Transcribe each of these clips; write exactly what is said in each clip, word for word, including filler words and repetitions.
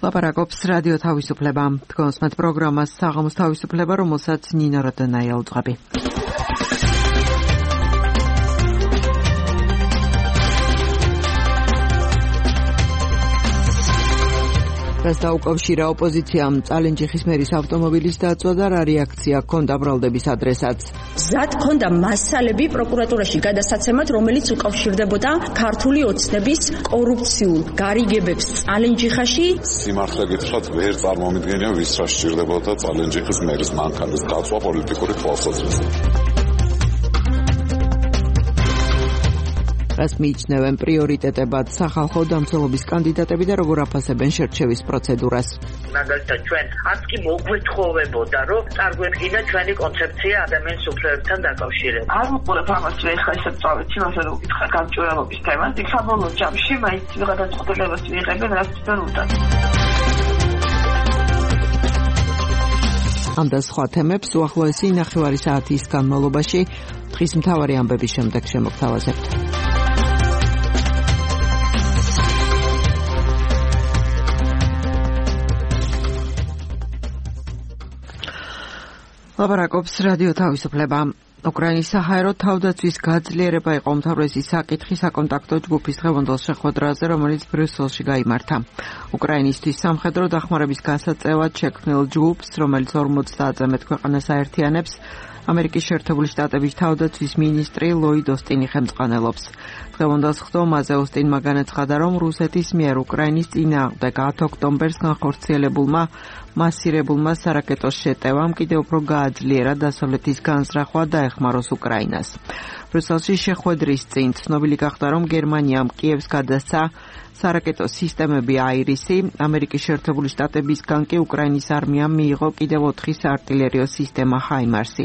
ლაპარაკობს რადიო თავისუფლება. თქვენს მათ პროგრამას საღამოს თავისუფლება, რომელსაც ნინო როდონაი აუძღვები. რას დაუკავშირა ოპოზიციამ წალენჯიხის მერის ავტომობილის დაწვა და რა რეაქცია ჰქონდა ბრალდების ადრესაც. მზად ჰქონდა მასალები პროკურატურაში გადასაცემად, რომელიც უკავშირდებოდა ქართული ოცნების კორუფციულ გარიგებებს წალენჯიხაში. სიმართლე გითხრათ, ვერ წარმომიდგენია ვის რა სჭირდებოდა წალენჯიხის მერის მანქანის დაწვა პოლიტიკური თვალსაზრისით. რას მიიჩნევენ პრიორიტეტებად სახალხო დამცველობის კანდიდატები და როგორ აფასებენ შერჩევის პროცედურას. მაგალითად ჩვენ არც კი მოგვეთხოვებოდა, რომ წარგვედგინა ჩვენი კონცეფცია ადამიანის უფლებებთან დაკავშირებით. არ ვუყურებ ამას, რომ ეხლა ისე წავით, იმას რომ ვკითხა გამჭვირვალობის თემას, იქ საბოლოო ჯამში მაინც გადაწყვეტილებას მიიღებენ, რაც თვითონ უდათ. ამ და სხვა თემებს უახლოესი ნახევარი საათის განმავლობაში დღის მთავარი ამბების შემდეგ შემოგთავაზებთ. ლაპარაკობს რადიო თავისუფლება. უკრაინის საჰაერო თავდაცვის გაძლიერება იყო უმთავრესი საკითხი საკონტაქტო ჯგუფის დღევანდელ შეხვედრაზე, რომელიც ბრიუსელში გაიმართა. უკრაინისთვის სამხედრო დახმარების გასაწევად შექმნილ ჯგუფს, რომელიც ორმოცდაათზე მეტ ქვეყანას აერთიანებს, ამერიკის შეერთებული შტატების თავდაცვის მინისტრი ლოიდ ოსტინი ხელმძღვანელობს. დღევანდელ ხდომაზე ოსტინმა განაცხადა, რომ რუსეთის მიერ უკრაინის წინააღმდეგ ათი ოქტომბერს განხორციელებულმა მასირებულმა სარაკეტო შეტევამ კიდევ უფრო გააძლიერა დასავლეთის განზრახვა და ეხმაროს უკრაინას. ბრიუსელში შეხვედრის წინ ცნობილი გახდა, რომ გერმანიამ კიევს გადასცა სარაკეტო სისტემები აირისი, ამერიკის შეერთებული შტატებისგან კი უკრაინის არმიამ მიიღო კიდევ ოთხი საარტილერიო სისტემა ჰაიმარსი.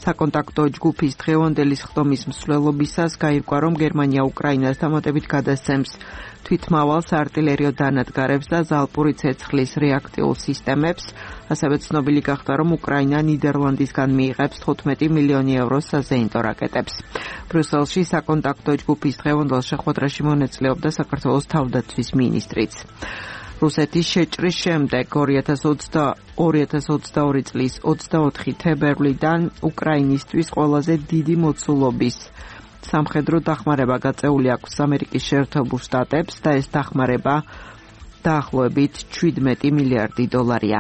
საკონტაქტო ჯგუფის დღევანდელი ხდომის მსვლელობისას გაირკვა, რომ გერმანია უკრაინას დამატებით გადასცემს თვითმავალ საარტილერიო დანადგარებს და ზალპური ცეცხლის რეაქტიულ სისტემებს. ასევე ცნობილი გახდა, რომ უკრაინა ნიდერლანდისგან მიიღებს თხუთმეტი მილიონი ევროს საზეიმტო რაკეტებს. ბრიუსელში საკონტაქტო ჯგუფის დღევანდელ შეხვედრაში მონაწილეობდა საქართველოს თავდაცვის მინისტრიც. რუსეთის შეჭრის შემდეგ ორი ათას ოცდაორი წლის ოცდაოთხი თებერვლიდან უკრაინისთვის ყველაზე დიდი მოცულობის სამხედრო დახმარება გაწეული აქვს ამერიკის შეერთებულ შტატებს და ეს დახმარება დაახლოებით შვიდმეტი მილიარდი დოლარია.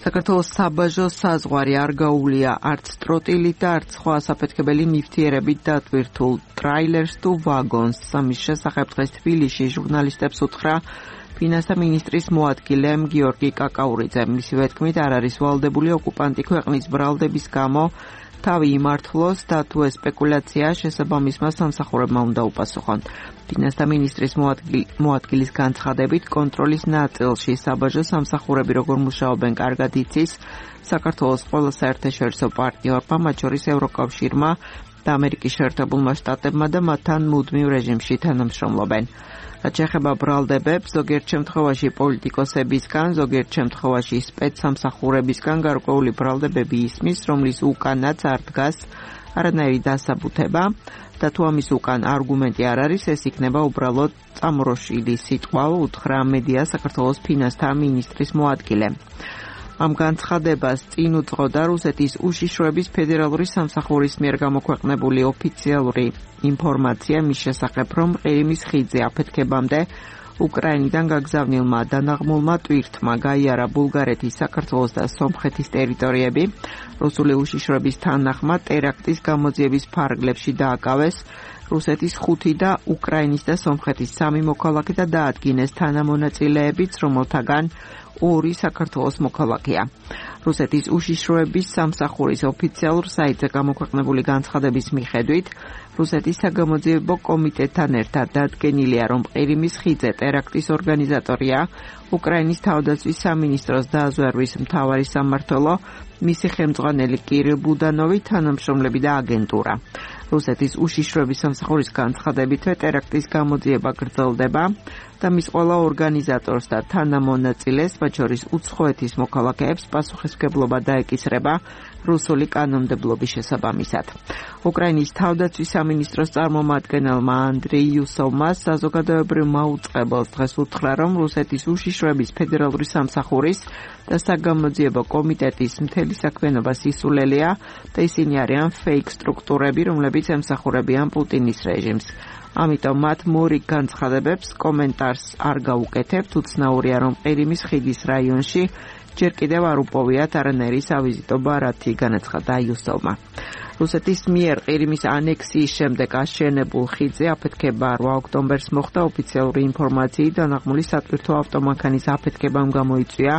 საქართველოს საბაჟო საზღვარი არ გაუვლია არც ტროტილით და არც სხვა საფეთქებელი ნივთიერებით დატვირთულ ტრაილერს თუ ვაგონს. ამის შესახებ დღეს თბილისში ჟურნალისტებს უთხრა ფინანსთა მინისტრის მოადგილე გიორგი კაკაურიძე. მისივე თქმით, არ არის ვალდებული ოკუპანტი ქვეყნის ბრალდების გამო თავი იმართლოს და თუ ეს სპეკულაცია შესაბამისმა სამსახურებმა უნდა უპასუხონ. ფინანსთა მინისტრის მოადგილის განცხადებით, კონტროლის ნაწილში საბაჟო სამსახურები როგორ მუშაობენ კარგად იცის საქართველოს ყველა საერთაშორისო პარტნიორმა, მათ შორის ევროკავშირმა და ამერიკის შეერთებულმა შტატებმა და მათთან მუდმივ რეჟიმში თანამშრომლობენ. რაც შეეხება ბრალდებებს, ზოგიერთ შემთხვევაში პოლიტიკოსებისგან, ზოგიერთ შემთხვევაში სპეცსამსახურებისგან გარკვეული ბრალდებები ისმის, რომლის უკანაც არ დგას არანაირი დასაბუთება და თუ ამის უკან არგუმენტი არ არის, ეს იქნება უბრალოდ წამორոշილი სიტყვა, უთხრა მედია საქართველოს ფინანსთა მინისტრის მოადგილე. ამ განცხადებას წინ უძღოდა რუსეთის უშიშროების ფედერალური სამსახურის მიერ გამოქვეყნებული ოფიციალური ინფორმაცია მის შესახებ, რომ ყირიმის ხიდზე აფეთქებამდე უკრაინიდან გაგზავნილმა დანაღმულმა ტვირთმა გაიარა ბულგარეთის, საქართველოს და სომხეთის ტერიტორიები. რუსული უშიშროების თანახმად ტერაქტის გამოძიების ფარგლებში დააკავეს რუსეთის ხუთი და უკრაინის და სომხეთის სამი მოქალაქე და დაადგინეს თანამონაწილეებიც, რომელთაგან ორი საქართველოს მოქალაქეა. რუსეთის უშიშროების სამსახურის ოფიციალურ საიტზე გამოქვეყნებული განცხადების მიხედვით, რუსეთის საგამოძიებო კომიტეტთან ერთად დადგენილია, რომ ყირიმის ხიდზე ტერაქტის ორგანიზატორია უკრაინის თავდაცვის სამინისტროს დაზვერვის მთავარი სამმართველო, მისი ხელმძღვანელი კირილ ბუდანოვი, თანამშრომლები და აგენტურა. რუსეთის უშიშროების სამსახურის განცხადებითვე ტერაქტის გამოძიება გრძელდება და მის ყველა ორგანიზატორს და თანამონაწილეს, მათ შორის უცხოეთის მოქალაქეებს, პასუხისმგებლობა დაეკისრება რუსული კანონმდებლობის შესაბამისად. უკრაინის თავდაცვის სამინისტროს წარმომადგენელმა ანდრეი იუსოვმა საზოგადოებრივ მაუწყებელს დღეს უთხრა, რომ რუსეთის უშიშროების ფედერალური სამსახურის და საგამოძიებო კომიტეტის მთელი საქმიანობა სისულელია და ისინი არიან ფეიქ სტრუქტურები, რომლებიც ემსახურებიან პუტინის რეჟიმს. ამიტომ მათ მორიგ განცხადებებს კომენტარს არ გაუკეთებთ. უცნაურია, რომ ყირიმის ხიდის რაიონში ჯერ კიდევ არ უპოვიათ არანაირი სავიზიტო ბარათი, განაცხადა იუსოვმა. რუსეთის მიერ ყირიმის ანექსიის შემდეგ აშენებულ ხიდზე აფეთქება რვა ოქტომბერს მოხდა. ოფიციალური ინფორმაციით დანაღმული სატვირთო ავტომანქანის აფეთქებამ გამოიწვია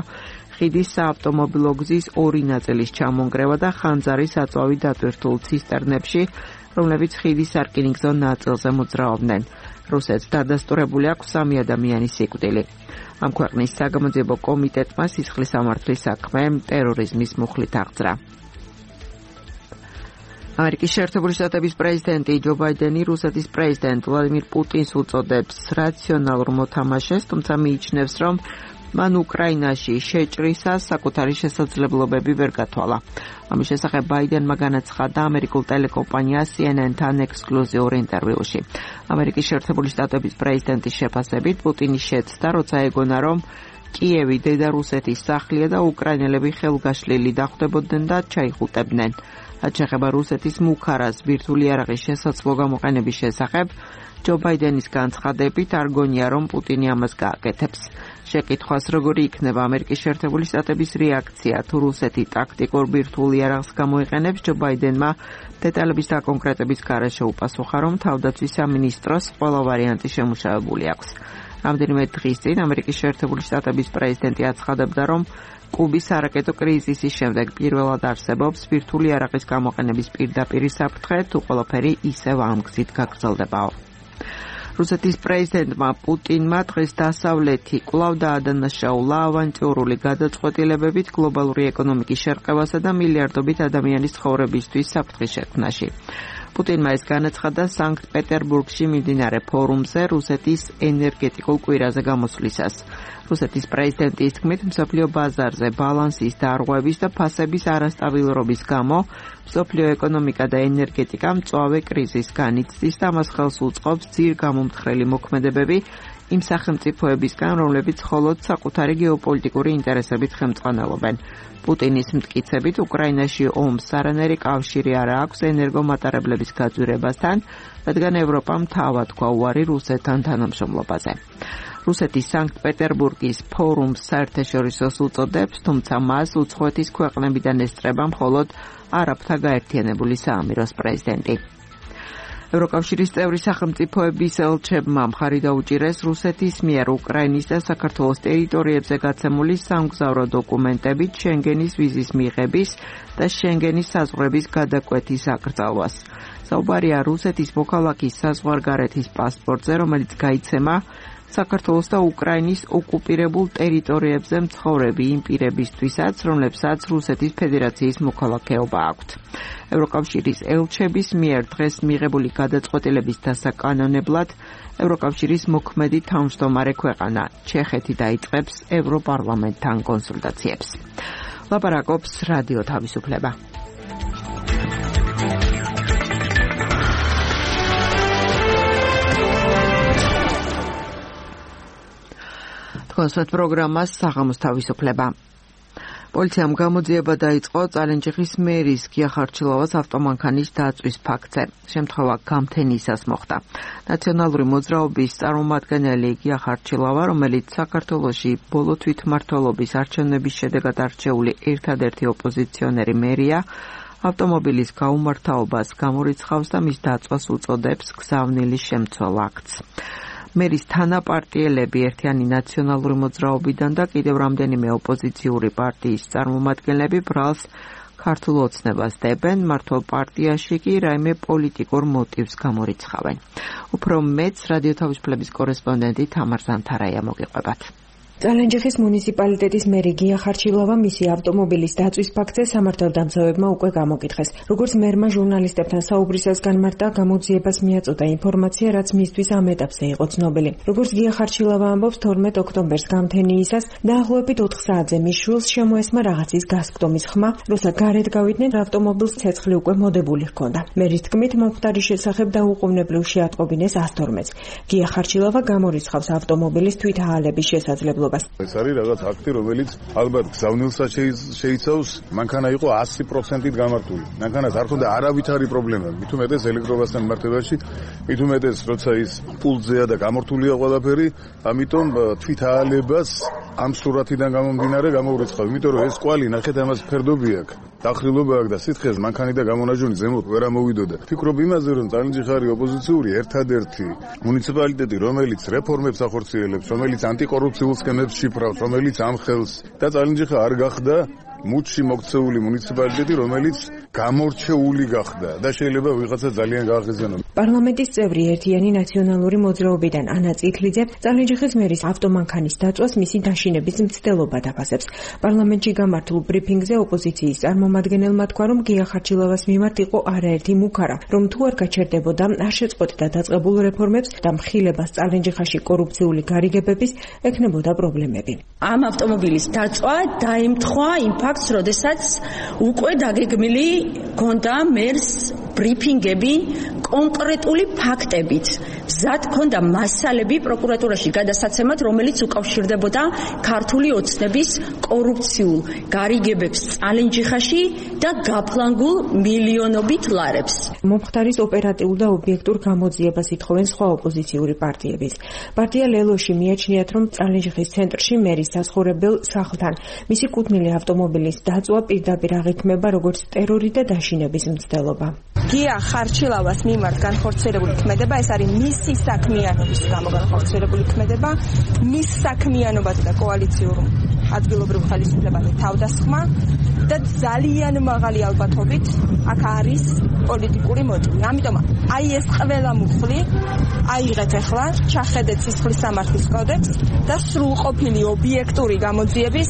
ხიდის საავტომობილო გზის ორი ნაწილის ჩამონგრევა და ხანძარი საწვავი დატვირთულ ცისტერნებში, რომლებიც ხიდის სარკინიგზო ნაწილზე მოძრაობდნენ. რუსეთს დადასტურებული აქვს სამი ადამიანის სიკვდილი. ამ ქვეყნის საგამოძიებო კომიტეტმა სისხლის სამართლის საქმე ტერორიზმის მუხლით აღძრა. ამერიკის შეერთებული შტატების პრეზიდენტი ჯო ბაიდენი რუსეთის პრეზიდენტ ვლადიმირ პუტინს უწოდებს რაციონალურ მოთამაშეს, თუმცა მიიჩნევს, რომ მან უკრაინაში შეჭრისას საკუთარი შესაძლებლობები ვერ გათვალა. ამის შესახებ ბაიდენმა განაცხადა ამერიკულ ტელეკომპანია სი ენ ენ-თან ექსკლუზიურ ინტერვიუში. ამერიკის შეერთებული შტატების პრეზიდენტის შეფასებით პუტინის შეცდა, როცა ეგონა, რომ კიევი დედა რუსეთის სახლია და უკრაინელები ხელგაშლილი დახვდებოდნენ და ჩაიხუტებდნენ. რაც შეეხება რუსეთის მუქარას ბირთვული იარაღის შესაძლო გამოყენების შესახებ, ჯო ბაიდენის განცხადებით არ გონია, რომ პუტინი ამას გააკეთებს. შეკითხვას, როგორი იქნება ამერიკის შეერთებული შტატების რეაქცია თუ რუსეთი ტაქტიკურ ბირთვულ იარაღს გამოიყენებს, ჯო ბაიდენმა დეტალების დაკონკრეტების გარეშე უპასუხა, რომ თავდაცვის სამინისტროს ყველა ვარიანტი შემუშავებული აქვს. რამდენიმე დღის წინ ამერიკის შეერთებული შტატების პრეზიდენტი აცხადებდა, რომ კუბის სარაკეტო კრიზისის შემდეგ პირველად არსებობს ბირთვული იარაღის გამოყენების პირდაპირი საფრთხე, თუ ყველაფერი ისევ ამ გზით გაგრძელდებაო. რუსეთის პრეზიდენტმა პუტინმა დღეს დასავლეთი კვლავ დაადანაშაულა ავანტიურული გადაწყვეტილებებით გლობალური ეკონომიკის შერყევასა და მილიარდობით ადამიანის ცხოვრებისთვის საფრთხის შექმნაში. პუტინმა ეს განაცხადა სანქტ-პეტერბურგში მიმდინარე ფორუმზე რუსეთის ენერგეტიკულ კვირაზე გამოსვლისას. რუსეთის პრეზიდენტის თქმით, მსოფლიო ბაზარზე ბალანსის დარღვევის და ფასების არასტაბილურობის გამო მსოფლიო ეკონომიკა და ენერგეტიკა მწვავე კრიზისს განიცდის და მას ხელს უწყობს ძირ გამომთხრელი მოქმედებები იმ სახელმწიფოებისგან, რომლებიც მხოლოდ საკუთარი გეოპოლიტიკური ინტერესებით ხელმძღვანელობენ. პუტინის მტკიცებით, უკრაინაში ომს არანაირი კავშირი არ აქვს ენერგომატარებლების გაძვირებასთან, რადგან ევროპამ თავად თქვა უარი რუსეთთან თანამშრომლობაზე. რუსეთის სანქტ-პეტერბურგის ფორუმს საერთაშორისოს უწოდებს, თუმცა მას უცხოეთის ქვეყნებიდან ესწრება მხოლოდ არაბთა გაერთიანებული საამიროს პრეზიდენტი. ევროკავშირის წევრი სახელმწიფოების ელჩებმა მხარი დაუჭირეს რუსეთის მიერ უკრაინის და საქართველოს ტერიტორიებზე გაცემული სამგზავრო დოკუმენტებით შენგენის ვიზის მიღების და შენგენის საზღვრების გადაკვეთის აკრძალვას. საუბარია რუსეთის მოქალაქის საზღვარგარეთის პასპორტზე, რომელიც გაიცემა საქართველოს და უკრაინის ოკუპირებულ ტერიტორიებზე მცხოვრები იმ პირებისთვისაც, რომლებსაც რუსეთის ფედერაციის მოქალაქეობა აქვთ. ევროკავშირის ელჩების მიერ დღეს მიღებული გადაწყვეტილების დასაკანონებლად ევროკავშირის მოქმედი თავმჯდომარე ქვეყანა ჩეხეთი დაიწყებს ევროპარლამენტთან კონსულტაციებს. ლაპარაკობს რადიო თავისუფლება. კონსულტ პროგრამას საღამოს თავისუფლება. პოლიციამ გამოძიება დაიწყო წალენჯიხის მერის გია ხარჩილოვას ავტომანქანის დაწვის ფაქტზე. შემთხვევა გამთენისას მოხდა. ნაციონალური მოძრაობის წარმომადგენელი გია ხარჩილოვა, რომელიც საქართველოში ბოლო თვითმმართველობის არჩევნების შედეგად არჩეული ერთადერთი ოპოზიციონერი მერია, ავტომობილის გაუმართავობას გამორიცხავს და მის დაწვას უწოდებს გზავნილის შემცველ აქტს. მერის თანაპარტიელები ერთიანი ნაციონალური მოძრაობიდან და კიდევ რამდენიმე ოპოზიციური პარტიის წარმომადგენლები ბრალს ქართულ ოცნებას დებენ, მართლ პარტიაში კი რაიმე პოლიტიკურ მოტივს გამორიცხავენ. უფრო მეც რადიო თავისუფლების კორესპონდენტი თამარ ზანთარაია მოგიყვებათ. წალენჯიხის მუნიციპალიტეტის მერი გია ხარჩილავა მისი ავტომობილის დაწვის ფაქტზე სამართალდამცავებმა უკვე გამოკითხეს. როგორც მერმა ჟურნალისტებთან საუბრისას განმარტა, გამოძიებას მიაწოდა ინფორმაცია, რაც მისთვის ამ ეტაპზე იყო ცნობილი. როგორც გია ხარჩილავა ამბობს, თორმეტ ოქტომბერს გამთენიისას დაახლოებით ოთხ საათზე მის შვილს შემოესმა რაღაცის გასკდომის ხმა, როცა გარეთ გავიდნენ, ავტომობილს ცეცხლი უკვე მოდებული ჰქონდა. მერის თქმით, მომხდარის შესახებ დაუყოვნებლივ შეატყობინეს ას თორმეტს. გია ხარჩილავა გამორიცხავს ავტომობილის თვითაალების შესაძლებლობას. ეს არის რაღაც აქტი, რომელიც ალბათ გზავნილსაც შეიცავს, მანქანა იყო ასი პროცენტით გამართული. მანქანას არ ქონდა არავითარი პრობლემა, მით უმეტეს ელექტრობასთან მიმართებაში, მით უმეტეს როცა ის პულტზეა და გამართულია ყველაფერი, ამიტომ თვითაალებას ამ სურათიდან გამომდინარე გამოურეცხავ, იმიტომ რომ ეს კვალი ნახეთ ამას ფერდობი აქვს, დახრილობა აქვს და სითხეს მანქანი და გამონაჟონი ზემოთ ვერ ამოვიდოდა. ფიქრობ იმაზე, რომ წალენჯიხი არის ოპოზიციური ერთადერთი მუნიციპალიტეტი, რომელიც რეფორმებს ახორციელებს, რომელიც ანტიკორუფციულ სქემებს შიფრავს, რომელიც ამხელს და წალენჯიხი არ გახდა მუდში მოქცეული მუნიციპალიტეტი, რომელიც გამორჩეული გახდა და შეიძლება ვიღაცა ძალიან გააღიზიანოს. პარლამენტის წევრი ერთიანი ნაციონალური მოძრაობიდან ანა წითლიძე წალენჯიხის მერის ავტომანქანის დაწვას მისი დაშინების მცდელობა დაფასებს. პარლამენტში გამართულ ბრიფინგზე ოპოზიციის წარმომადგენელმა თქვა, რომ გია ხარჩილავას მიმართ იყო არაერთი მუქარა, რომ თუ არ გაჩერდებოდა, არ შეწყვეტდა დაწყებულ რეფორმებს და მხილებას წალენჯიხაში კორუფციული გარიგებების ექნებოდა პრობლემები. ამ ავტომობილის დაწვა დაემთხვა იმ ფაქტს, როდესაც უკვე დაგეგმილი გონდა მერს ბრიფინგები კონკრეტული ფაქტებით. მზად ქონდა მასალები პროკურატურაში გადასაცემად, რომელიც უკავშირდებოდა ქართული ოცნების კორუფციულ გარიგებებს წალენჯიხაში და გაფლანგულ მილიონობით ლარებს. მომხდარის ოპერატიულ და ობიექტურ გამოძიებას ითხოვენ სხვა ოპოზიციური პარტიებიც. პარტია ლელოში მიაჩნიათ, რომ წალენჯიხის ცენტრში მერის საცხოვრებელ სახლთან მისი კუთვნილი ავტომობილის დაწვა პირდაპირ აღიქმება როგორც ტერორი და დაშინების მცდელობა. გია ხარჩილავას მიმართ განხორციელებული ქმედება, ეს არის მისი საქმიანობის გამო განხორციელებული ქმედება, მის საქმიანობაზე და კოალიციურ ადგილობრივ ხელისუფლებაზე თავდასხმა და ძალიან მაღალი ალბათობით აქ არის პოლიტიკური მოტივი. ამიტომ აი ეს ყველა მუხლი აიღეთ ახლა, ჩახედეთ სისხლის სამართლის კოდექსს და სრულყოფილი ობიექტური გამოძიების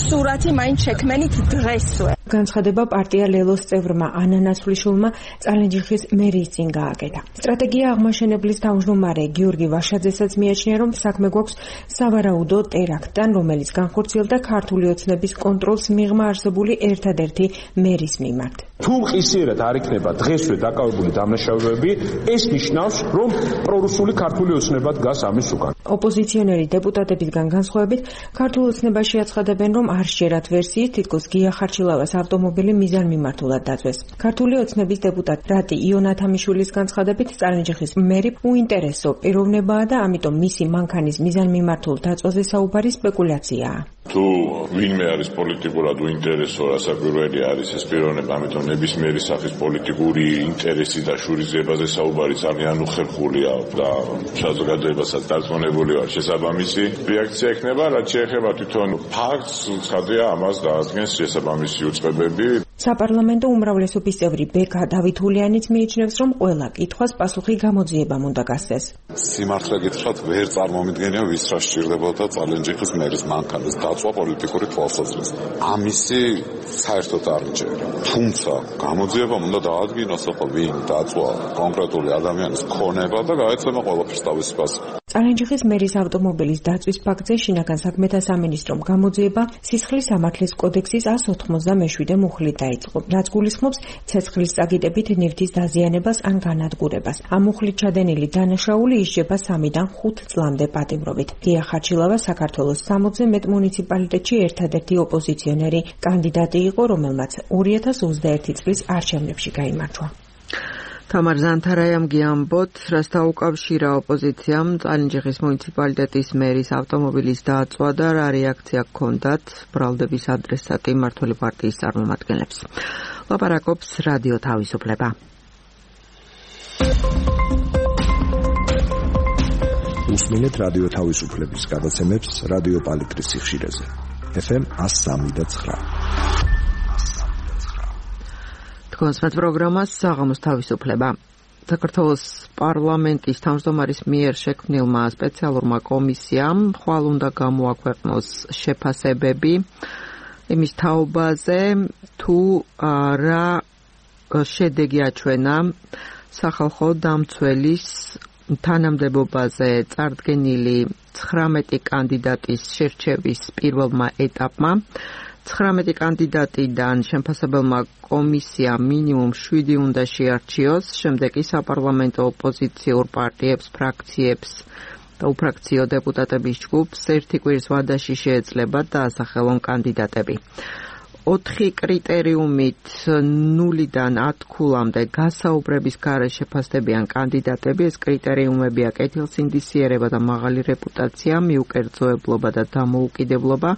სურათი მაინც შექმენით დღესვე. განცხადება პარტია ლელოს წევრმა ანა ნაცვლიშვილმა წალენჯიხის მერის წინ გააკეთა. სტრატეგია აღმაშენებლის თავმჯდომარე გიორგი ვაშაძესაც მიაჩნია, რომ საქმე გვაქვს სავარაუდო ტერაქტთან, რომელიც განხორციელდა ქართული ოცნების კონტროლს მიღმა არსებული ერთადერთი მერის მიმართ. თუ მყისიერად არ იქნება დღესვე დაკავებული დამნაშავეები, ეს ნიშნავს, რომ პრორუსული ქართული ოცნება დგას ამის უკან. ოპოზიციონერი დეპუტატებისგან განსხვავებით, ქართულ ოცნებაში აცხადებენ, რომ არ შეერათ ვერსიით, თითქოს გია ხარჩილავას ავტომობილი მიზანმიმართულად დაწვეს. ქართული ოცნების დეპუტატ რატი იონათამიშვილის განცხადებით, წალენჯიხის მერი უინტერესო პიროვნებაა და ამიტომ მისი მანქანის მიზანმიმართულ დაწვაზე საუბარი სპეკულაციაა. თუ ვინმე არის პოლიტიკურად უინტერესო, რასაკვირველი არის ეს პიროვნება, ამიტომ ნებისმიერი სახის პოლიტიკური ინტერესი და შურიზებაზე საუბარი ძალიან უხერხულია და საზოგადოებასაც დარწმუნებული ვარ შესაბამისი რეაქცია ექნება, რაც შეეხება თვითონ ფაქტს, ცხადია ამას დაადგენს შესაბამისი უწყებები. საპარლამენტო უმრავლესობის წევრი ბექა დავითულიანიც მიიჩნევს, რომ ყველა კითხვას პასუხი გამოძიებამ უნდა გასცეს. სიმართლე გითხრათ, ვერ წარმომიდგენია ვის რა სჭირდებოდა წალენჯიხის მერის მანქანის დაწვა პოლიტიკური თვალსაზრისით. ამისი საერთოდ არ მჯერა. თუმცა გამოძიებამ უნდა დაადგინოს, ვინ დაწვა კონკრეტული ადამიანის ქონება და გაეცემა ყველაფერს თავისი პასუხი. წალენჯიხის მერის ავტომობილის დაწვის ფაქტზე შინაგან საქმეთა სამინისტრომ გამოძიება სისხლის სამართლის კოდექსის ას ოთხმოცდამეშვიდე მუხლით დაიწყო, რაც გულისხმობს ცეცხლის წაგიდებით ნივთის დაზიანებას ან განადგურებას. ამ მუხლით ჩადენილი დანაშაული ისჯება სამიდან ხუთ წლამდე პატიმრობით. გია ხარჩილავა საქართველოს სამოცზე მეტ მუნიციპალიტეტში ერთადერთი ოპოზიციონერი კანდიდატი იყო, რომელმაც ორი ათას ოცდაერთი წლის არჩევნებში გაიმარჯვა. თამარ ზანთარაიამ გიამბოთ, რასთან უკავშირა ოპოზიციამ წალენჯიხის მუნიციპალიტეტის მერის ავტომობილის დაწვა და რა რეაქცია ჰქონდათ ბრალდების ადრესატი მმართველი პარტიის წარმომადგენლებს. ლაპარაკობს რადიო თავისუფლება. უსმენთ რადიო თავისუფლების გადაცემებს რადიო პალიტრის სიხშირეზე. ეფ ემ ას სამი და ცხრა. კონსმეთ პროგრამას საღამოს თავისუფლება. საქართველოს პარლამენტის თავმჯდომარის მიერ შექმნილმა სპეციალურმა კომისიამ ხვალ უნდა გამოაქვეყნოს შეფასებები იმის თაობაზე, თუ რა შედეგი აჩვენა სახალხო დამცველის თანამდებობაზე წარდგენილი ცხრამეტი კანდიდატის შერჩევის პირველმა ეტაპმა. ცხრამეტი კანდიდატიდან შემფასებელმა კომისიამ მინიმუმ შვიდი უნდა შეარჩიოს, შემდეგ კი საპარლამენტო ოპოზიციურ პარტიებს, ფრაქციებს და უფრაქციო დეპუტატების ჯგუფს ერთი კვირის ვადაში შეეძლებათ დაასახელონ კანდიდატები. ოთხი კრიტერიუმით ნულიდან ათქულამდე გასაუბრების გარეშე შეფასდებიან კანდიდატები. ეს კრიტერიუმებია კეთილსინდისიერება და მაღალი რეპუტაცია, მიუკერძოებლობა და დამოუკიდებლობა,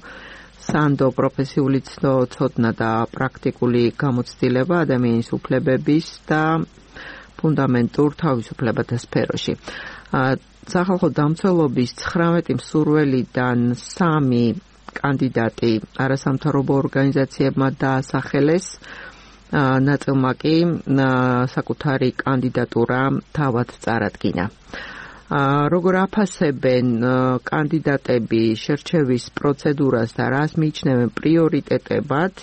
სანდო პროფესიული ცოდნა და პრაქტიკული გამოცდილება ადამიანის უფლებების და ფუნდამენტურ თავისუფლებათა სფეროში. სახალხო დამცველობის ცხრამეტი მსურველიდან სამი კანდიდატი არასამთავრობო ორგანიზაციებმა დაასახელეს, ნაწილმა კი საკუთარი კანდიდატურა თავად წარადგინა. როგორ აფასებენ კანდიდატები შერჩევის პროცედურას და რას მიიჩნევენ პრიორიტეტებად,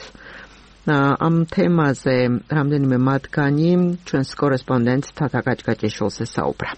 ამ თემაზე რამდენიმე მათგანი ჩვენს კორესპონდენტ თათა გაჭგაჭიშვილს ესაუბრა.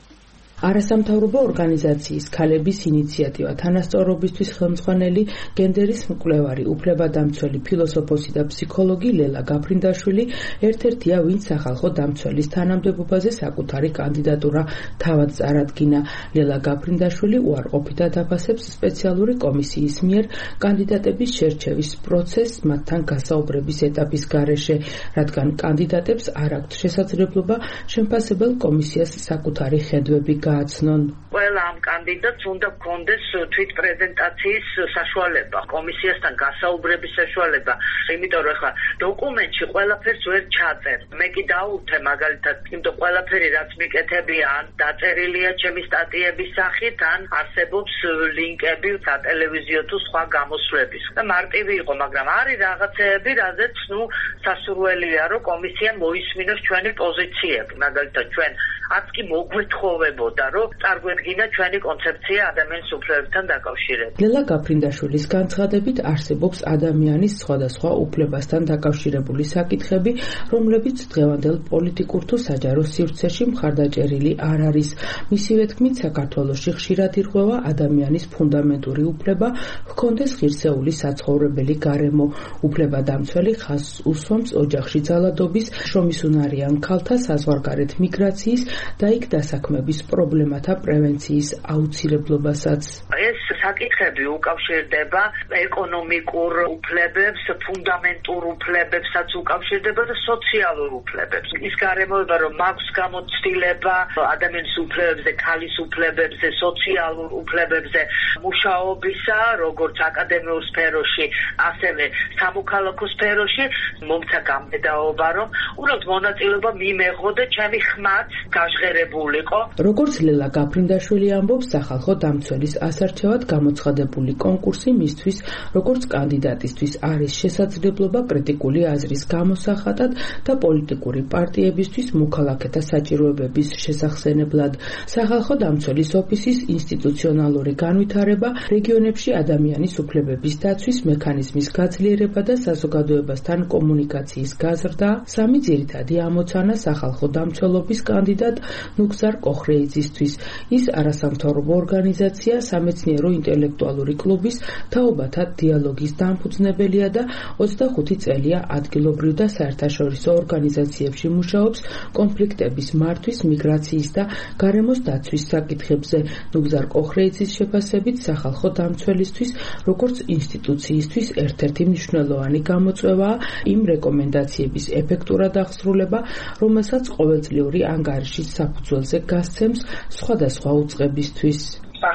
არასამთავრობო ორგანიზაციის ქალების ინიციატივა თანასწორობისთვის ხელმძღვანელი გენდერის მკვლევარი უფლებადამცველი ფილოსოფოსი და ფსიქოლოგი ლელა გაფრინდაშვილი ერთ-ერთია, ვინც სახალხო დამცველის თანამდებობაზე საკუთარი კანდიდატურა თავად წარადგინა. ლელა გაფრინდაშვილი უარყოფითად აფასებს სპეციალური კომისიის მიერ კანდიდატების შერჩევის პროცესს მათთან გასაუბრების ეტაპის გარეშე, რადგან კანდიდატებს არ აქვთ შესაძლებლობა შემფასებელ კომისიას საკუთარი ხედვები გააცნონ. ყველა ამ კანდიდატს უნდა გქონდეს თვით პრეზენტაციის საშუალება, კომისიასთან გასაუბრების საშუალება, იმიტომ რომ ხა დოკუმენტში ყველაფერს ვერ ჩაწერ. მე კი დაუვთე მაგალითად, იმიტომ ყველაფერი რაც მიკეთებია, დაწერილია ჩემი სტატიების სახით, ან არსებობს ლინკები სატელევიზიო თუ სხვა გამოსვლების. და მარტივი იყო, მაგრამ არის რაღაცეები, რაზეც ნუ სასურველია, რომ კომისია მოისმინოს ჩვენი პოზიციები. მაგალითად, ჩვენ არც კი მოგვეთხოვებოდა, რომ წარგვედგინა ჩვენი კონცეფცია ადამიანის უფლებებთან დაკავშირებით. ლელა გაფრინდაშვილის განცხადებით არსებობს ადამიანის სხვადასხვა უფლებასთან დაკავშირებული საკითხები, რომლებიც დღევანდელ პოლიტიკურ თუ საჯარო სივრცეში მხარდაჭერილი არ არის. მისივე თქმით, საქართველოში ხშირად ირღვევა ადამიანის ფუნდამენტური უფლება ჰქონდეს ღირსეული საცხოვრებელი გარემო. უფლებადამცველი ხაზს უსვამს ოჯახში ძალადობის, შრომისუნარიან ქალთა საზღვარგარეთ მიგრაციის და იქ დასაქმების პრობლემათა პრევენციის აუცილებლობასაც. ეს საკითხები უკავშირდება ეკონომიკურ უფლებებს, ფუნდამენტურ უფლებებსაც უკავშირდება და სოციალურ უფლებებს. ის გარემოება, რომ მაქვს გამოცდილება ადამიანის უფლებებზე, ქალის უფლებებზე, სოციალურ უფლებებზე, მუშაობისა, როგორც აკადემიურ სფეროში, ასევე სამოქალაქო სფეროში, მომცა გამბედაობა, რომ უბრალოდ მონაწილეობა მიმეღო და ჩემი ხმაც გაჟღერებულიყო. როგორც ლელა გაფრინდაშვილი ამბობს, სახალხო დამცველის ასარჩევად გამოცხადებული კონკურსი მისთვის, როგორც კანდიდატისთვის არის შესაძლებლობა კრიტიკული აზრის გამოსახატად და პოლიტიკური პარტიებისთვის მოქალაქეთა საჭიროებების შესახსენებლად. სახალხო დამცველის ოფისის ინსტიტუციონალური განვითარება, რეგიონებში ადამიანის უფლებების დაცვის მექანიზმის გაძლიერება და საზოგადოებასთან კომუნიკაციის გაზრდა, სამი ძირითადი ამოცანა სახალხო დამცველობის კანდიდატ ნუგზარ კოხრეიძისთვის. ის არასამთავრობო ორგანიზაცია, სამეცნიერო ინტელექტუალური კლუბის თაობათა დიალოგის დამფუძნებელია და ოცდახუთი წელია ადგილობრივ და საერთაშორისო ორგანიზაციებში მუშაობს კონფლიქტების მართვის, მიგრაციის და გარემოს დაცვის საკითხებზე. ნუგზარ კოხრეიძის შეფასებით, სახალხო დამცველისთვის, როგორც ინსტიტუციისთვის ერთ-ერთი მნიშვნელოვანი გამოწვევაა იმ რეკომენდაციების ეფექტურად აღსრულება, რომელსაც ყოველწლიური ანგარიშის საფუძველზე გასცემს სხვადასხვა უწყებისთვის.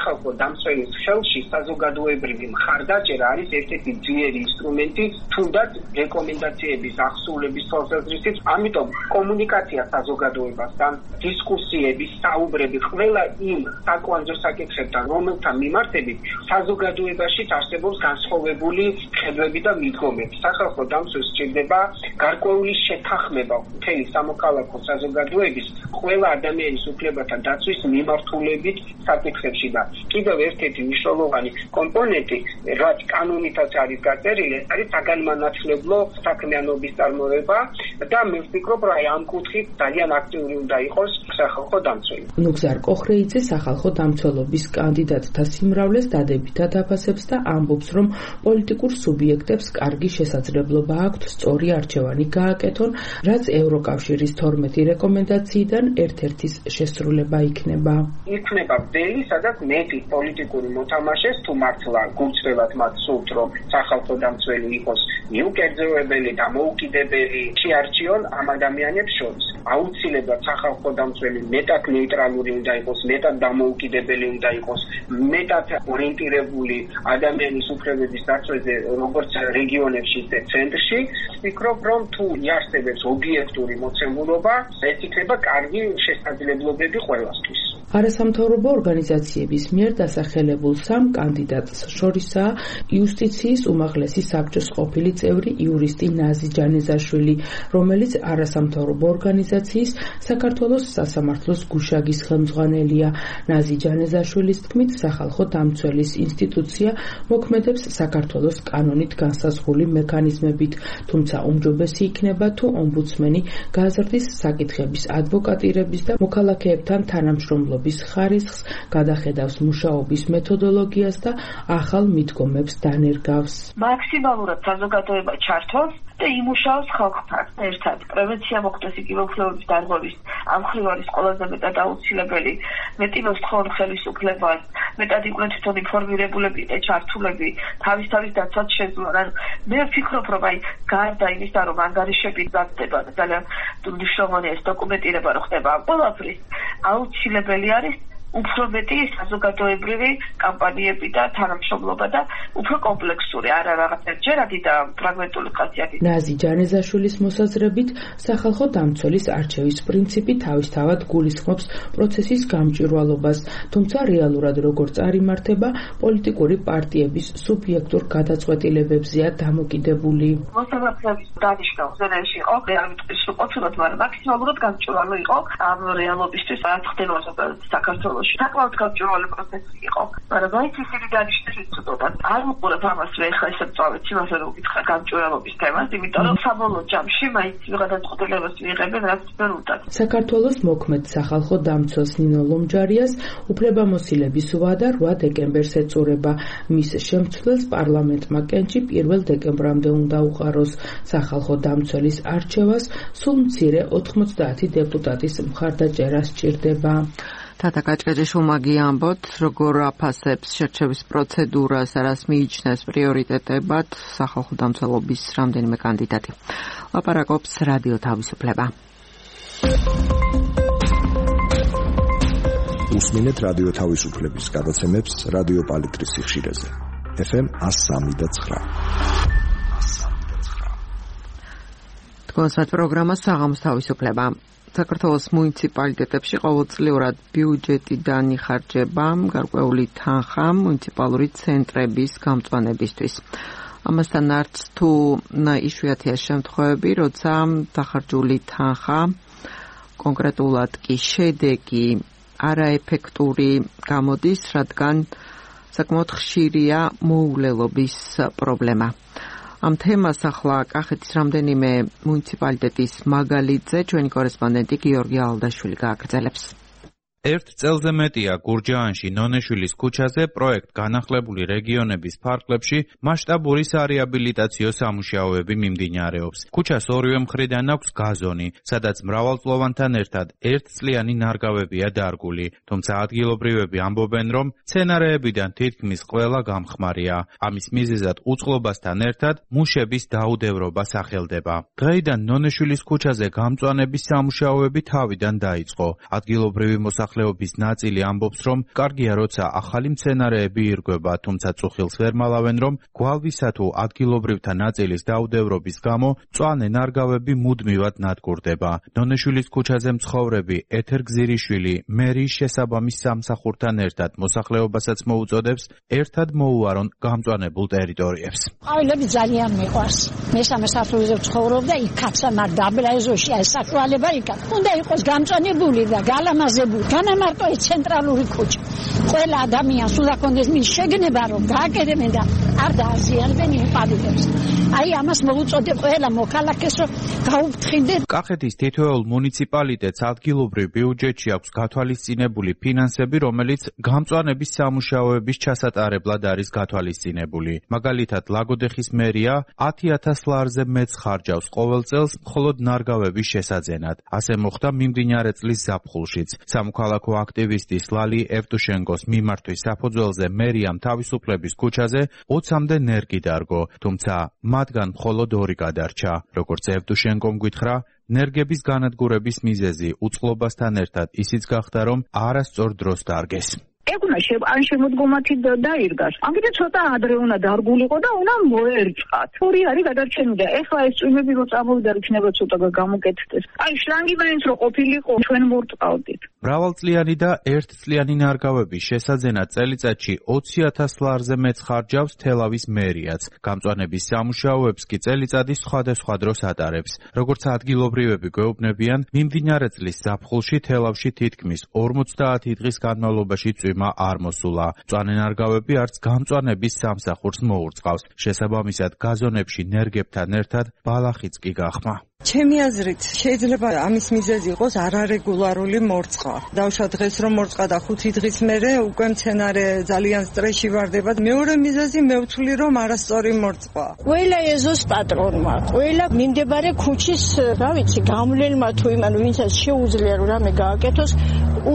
სახალხო დამცველის ხელში საზოგადოებრივი მხარდაჭერა არის ერთ-ერთი ძლიერი ინსტრუმენტი თუნდაც რეკომენდაციების აღსრულების თვალსაზრისით. ამიტომ კომუნიკაცია საზოგადოებასთან, დისკუსიები, საუბრები ყველა იმ საკვანძო საკითხებთან, რომელთა მიმართებით საზოგადოებაში არსებობს განსხვავებული ხედვები და მიდგომები. სახალხო დამცველს სჭირდება გარკვეული შეთანხმება მთელი სამოქალაქო საზოგადოების ყველა ადამიანის უფლებათა დაცვის მიმართულებით საკითხებში და კიდევ ერთ-ერთი მნიშვნელოვანი კომპონენტი, რაც კანონითაც არის გაწერილი, არის საგანმანათლებლო საქმიანობის წარმოება და მე ვფიქრობ, რომ ამ კუთხით ძალიან აქტიური უნდა იყოს სახალხო დამცველი. ნუგზარ კოხრეიძე სახალხო დამცველობის კანდიდატთა სიმრავლეს დადებითად აფასებს და ამბობს, რომ პოლიტიკურ სუბიექტებს კარგი შესაძლებლობა აქვთ სწორი არჩევანი გააკეთონ, რაც ევროკავშირის თორმეტი რეკომენდაციიდან ერთ-ერთის შესრულება იქნება. იქნება ველი, სადაც მეტი პოლიტიკური მოთამაშეს თუ მართლა გულწრფელად მათ სურთ, რომ სახალხო დამცველი იყოს მიუკერძოებელი, დამოუკიდებელი, შეარჩიონ ამ ადამიანებს შორის. აუცილებლად სახალხო დამცველი მეტად ნეიტრალური უნდა იყოს, მეტად დამოუკიდებელი უნდა იყოს, მეტად ორიენტირებული ადამიანის უფლებების დაცვაზე, როგორც რეგიონებში, ისე ცენტრში. ვფიქრობ, რომ თუ იარსებებს ობიექტური მოცემულობა, ეს იქნება კარგი შესაძლებლობები ყველასთვის. არასამთავრობო ორგანიზაციების მიერ დასახელებულ სამ კანდიდატს შორისაა იუსტიციის უმაღლესი საბჭოს ყოფილი წევრი იურისტი ნაზი ჯანეზაშვილი, რომელიც არასამთავრობო ორგანიზაციის საქართველოს სასამართლოს გუშაგის ხელმძღვანელია. ნაზი ჯანეზაშვილის თქმით, სახალხო დამცველის ინსტიტუცია მოქმედებს საქართველოს კანონით განსაზღვრული მექანიზმებით, თუმცა უმჯობესი იქნება თუ ომბუდსმენი გაზრდის საკითხების ადვოკატირების და მოქალაქეებთან თანამშრომლობის ხარისხს, გადახედავს მუშაობის მეთოდოლოგიას და ახალ მიდგომებს დანერგავს. მაქსიმალურად საზოგადოება ჩართოს და იმუშაოს ხალხთან ერთად. პრევენცია მოხდეს იგივეუფლებების დარღვევის ამ მხრივ არის ყველაზე მეტად აუცილებელი. მეტი მოსთხოვნა ხელისუფლებას, მეტად იყვნენ თვითონ ინფორმირებულები და ჩართულები თავის-თავის დაცვაც შეძლონ. მე ვფიქრობ, რომ აი გარდა იმისა, რომ ანგარიშები გაგდება და ძალიან მნიშვნელოვანია ეს დოკუმენტირება რო ხდება ამ ყველაფრის, აუცილებელი არის უფრო მეტი საზოგადოებრივი კამპანიები და თანამშრომლობა და უფრო კომპლექსური, არა რაღაც ერთჯერადი და ფრაგმენტული ხასიათით. ნაზი ჯანეზაშვილის მოსაზრებით, სახალხო დამცველის არჩევის პრინციპი თავისთავად გულისხმობს პროცესის გამჭვირვალობას, თუმცა რეალურად როგორ წარიმართება, პოლიტიკური პარტიების სუბიექტურ გადაწყვეტილებებზეა დამოკიდებული. მოსამართლეების დანიშნულ ზონაში იყო, არ ვიტყვი სრულყოფილად, მაგრამ მაქსიმალურად გამჭვირვალო იყო ამ რეალობისთვის, რაც ხდება საქართველოს. საკმაოდ გამჭვირვალე პროცესი იყო, მაგრამ მაინც ისინი დანიშნეს ვიწოდოთ. არ უყურებ ამას მე ხა ესე წავით იმასე რომ გითხრა გამჭვირვალობის თემას, იმიტომ რომ საბოლოო ჯამში მაინც გადაწყვეტილებას მიიღებენ რაც ვერ უნდა. საქართველოს მოქმედ სახალხო დამცველს ნინო ლომჯარიას უფლებამოსილების ვადა რვა დეკემბერს ეწურება. მის შემცვლელს პარლამენტმა კენჭი პირველ დეკემბრამდე უნდა უყაროს. სახალხო დამცველის არჩევას სულ მცირე ოთხმოცდაათი დეპუტატის მხარდაჭერა სჭირდება. თათა კაჭკაჭაშვილმა გიამბოთ, როგორ აფასებს შერჩევის პროცედურას, რას მიიჩნევს პრიორიტეტებად სახალხო დამცველობის რამდენიმე კანდიდატი. ლაპარაკობს რადიო თავისუფლება. უსმინეთ რადიო თავისუფლების გადაცემებს რადიო პალიტრის სიხშირეზე. ეფ ემ one oh three point nine. თქვენსათ პროგრამა საღამოს თავისუფლება. საქართველოს მუნიციპალიტეტებში ყოველწლიურად ბიუჯეტიდან იხარჯება გარკვეული თანხა მუნიციპალური ცენტრების გამწვანებისთვის. ამასთან არც თუ იშვიათია შემთხვევები, როცა დახარჯული თანხა კონკრეტულად კი შედეგი არაეფექტური გამოდის, რადგან საკმაოდ ხშირია მოულელობის პრობლემა. ამ თემას ახლა კახეთის რამდენიმე მუნიციპალიტეტის მაგალითზე ჩვენი კორესპონდენტი გიორგი ალდაშვილი გააგრძელებს. ერთ წელზე მეტია გურჯაანში ნონეშვილის ქუჩაზე პროექტ განახლებული რეგიონების ფარგლებში მასშტაბური სარეაბილიტაციო სამუშაოები მიმდინარეობს. ქუჩას ორივე მხრიდან აქვს გაზონი, სადაც მრავალწლოვანთან ერთად ერთწლიანი ნარგავებია დარგული, თუმცა ადგილობრივები ამბობენ, რომ მცენარეებიდან თითქმის ყველა გამხმარია. ამის მიზეზად უწყლობასთან ერთად მუშების დაუდევრობა სახელდება. დღეიდან ნონეშვილის ქუჩაზე გამწვანების სამუშაოები თავიდან დაიწყო. ადგილობრივი მოსახლეობა მოსახლეობის ნაწილი ამბობს, რომ კარგია, როცა ახალი მცენარეები ირგვება, თუმცა წუხილს ვერ მალავენ, რომ გვალვისა თუ ადგილობრივთა ნაწილის დაუდევრობის გამო მწვანე ნარგავები მუდმივად ნადგურდება. ნონეშვილის ქუჩაზე მცხოვრები ეთერ გზირიშვილი მერიის შესაბამის სამსახურთან ერთად მოსახლეობასაც მოუწოდებს ერთად მოუარონ გამწვანებულ ტერიტორიებს. ყვავილები ძალიან მიყვარს. მესამე სართულზე ვცხოვრობ და იქაც ამარ დაბლაეზოში ეს საშუალება იქაც. უნდა იყოს გამწვანებული და გალამაზებული. განამარტო ეს ცენტრალური ქუჩა. ყველა ადამიანს უნდა კონდეს მის შეგნება რომ გააკეთებენ და არ დააზიანებენ იმ ყვავილებს. აი ამას მოუწოდებ ყველა მოქალაქეს რომ გაუფრთხილდეთ. კახეთის თითოეულ მუნიციპალიტეტს ადგილობრივ ბიუჯეტში აქვს გათვალისწინებული ფინანსები, რომელიც გამწვანების სამუშაოების ჩასატარებლად არის გათვალისწინებული. მაგალითად, ლაგოდეხის მერია ათი ათას ლარზე მეტს ხარჯავს ყოველ წელს მხოლოდ ნარგავების შესაძენად. ასე მოხდა მიმდინარე წლის ზაფხულშიც. სამოქალაქო აქტივისტის ლალი ევტუშენკოს მიმართვის საფუძველზე მერიამ თავისუფლების ქუჩაზე ოცამდე ნერგი დარგო, თუმცა მათგან მხოლოდ ორი გადარჩა. როგორც ევტუშენკომ გითხრა, ნერგების განადგურების მიზეზი უწყლობასთან ერთად ისიც გახდა, რომ არასწორ დროს დარგეს. ეგუნა ან შემოდგომათი დაირგას. ამიტომ ცოტა ადრე უნდა დარგულიყო და უნდა მოერწყათ. ორი არის გადარჩენილი და ეხლა ეს წვიმები რო წამოვიდა, იქნება ცოტა გამოკეთდეს. აი შლანგი მაინც რო ყოფილიყო, ჩვენ მორწყავდით. მრავალწლიანი და ერთწლიანი ნარგავების შესაძენად წელიწადში ოცი ათას ლარზე მეტს ხარჯავს თელავის მერიაც. გამწვანების სამუშაოებს კი წელიწადის სხვადასხვა დროს ატარებს. როგორც ადგილობრივები გვეუბნებიან, მიმდინარე წლის ზაფხულში თელავში თითქმის ორმოცდაათი დღის განმავლობაში წვიმა არ მოსულა. მწვანე ნარგავები არც გამწვანების სამსახურს მოურწყავს. შესაბამისად, გაზონებში ნერგებთან ერთად ბალახიც კი გახმა. ჩემი აზრით, შეიძლება ამის მიზეზი იყოს არარეგულარული მორწყვა. დავშვა დღეს რომ მორწყვა და ხუთი დღის მერე უკვე მცენარე ძალიან სტრესში ვარდება. მეორე მიზეზი მე ვთვლი რომ არასწორი მორწყვა. ყველა ეზოს პატრონმა, ყველა მიმდებარე ქუჩის, რა ვიცი, გამლელმა თუ იმან ვინცაც შეუძლია რომ რამე გააკეთოს,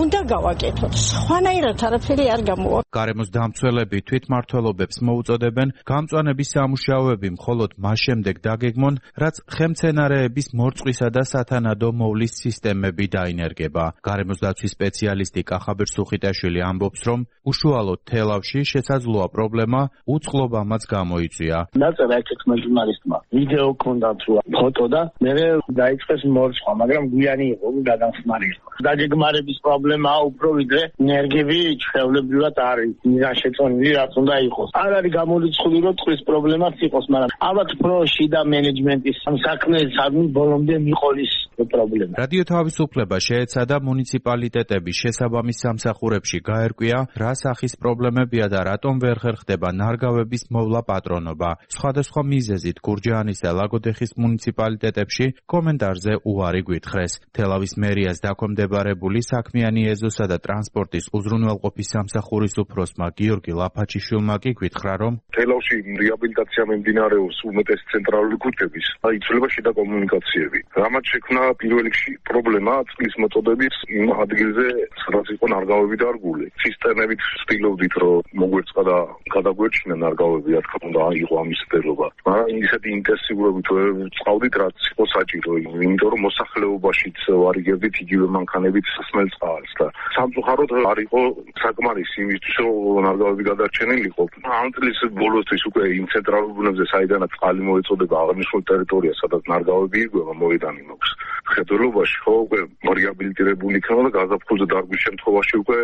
უნდა გავაკეთოთ. სხვანაირად არაფერი არ გამოვა. გარემოს დამცველები თვითმმართველობებს მოუწოდებენ გამწვანების სამუშაოები მხოლოდ მას შემდეგ დაგეგმონ, რაც ხელმცენარეების მორწყვისა და სათანადო მოვლის სისტემები დაინერგება. გარემოს დაცვის სპეციალისტი კახაბერ სუხიტაშვილი ამბობს, რომ უშუალოდ თელავში შესაძლოა პრობლემა უწყლობამაც გამოიწვია. დაწერა ერთ-ერთმა ჟურნალისტმა ვიდეო ჰქონდა თუ ფოტო და მე დაიწყეს მორწყვა, მაგრამ გვიანი იყო, გადამხმარი იყო. დაგეგმარების პრობლემაა უფრო ვიდრე ნერგები ჩვეულებრივად არის მიზანშეწონილი, რაც უნდა იყოს. არ არის გამორიცხული, რომ ტყვის პრობლემაც იყოს, მაგრამ ალბათ უფრო შიდა მენეჯმენტის საქმე ბოლომდე მიყოლის პრობლემა. რადიო თავისუფლება შეეცადა მუნიციპალიტეტების შესაბამის სამსახურებში გაერკვია, რა სახის პრობლემებია და რატომ ვერ ხერხდება ნარგავების მოვლა პატრონობა. სხვადასხვა მიზეზით გურჯაანის და ლაგოდეხის მუნიციპალიტეტებში კომენტარზე უარი გვითხრეს. თელავის მერიას დაქვემდებარებული საქმიანი ეზოსა და ტრანსპორტის უზრუნველყოფის სამსახურის უფროსმა გიორგი ლაფაჩიშვილმა კი გვითხრა, რომ თელავში რეაბილიტაცია მიმდინარეობს უმეტეს ცენტრალური ქუჩების, იცვლება შიდა კომუნიკაციები. რამაც შექმნა პირველ რიგში პრობლემა წყლის მოწოდების იმ ადგილზე, სადაც იყო ნარგავები დარგული. ცისტერნებით ვცდილობდით, რომ მოგვერწყა და გადაგვერჩინა ნარგავები, რა თქმა უნდა, იყო ამის მცდელობა. მაგრამ ისეთი ინტენსიურობით ვწყავდით, რაც იყო საჭირო, იმიტომ რომ მოსახლეობაშიც ვარიგებდით იგივე მანქანებით სასმელ წყალს და სამწუხაროდ არ იყო საკმარისი იმისთვის, რომ ნარგავები გადარჩენილიყო. ამ წლის ბოლოსთვის უკვე იმ ცენტრალურ ბუნებზე, საიდანაც წყალი მოეწოდება აღნიშნულ ტერიტორიას, სადაც ნარგავები ირგვება, მოედანი მაქვს. ხედველობაში ხო უკვე რეაბილიტირებული იქნება და გაზაფხულზე დარგვის შემთხვევაში უკვე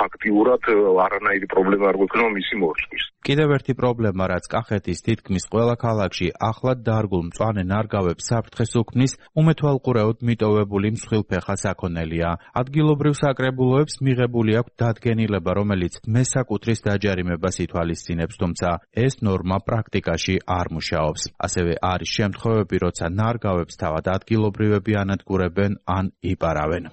ფაქტიურად არანაირი პრობლემა არ გვექნება მისი მორწყვის. კიდევ ერთი პრობლემა, რაც კახეთის თითქმის ყველა ქალაქში ახლად დარგულ მწვანე ნარგავებს საფრთხეს უქმნის, უმეთვალყურეოდ მიტოვებული მსხვილფეხა საქონელია. ადგილობრივ საკრებულოებს მიღებული აქვს დადგენილება, რომელიც მესაკუთრის დაჯარიმებას ითვალისწინებს, თუმცა ეს ნორმა პრაქტიკაში არ მუშაობს. ასევე არის შემთხვევები, როცა ნარგავებს თავად ადგილობრივები ანადგურებენ ან იპარავენ.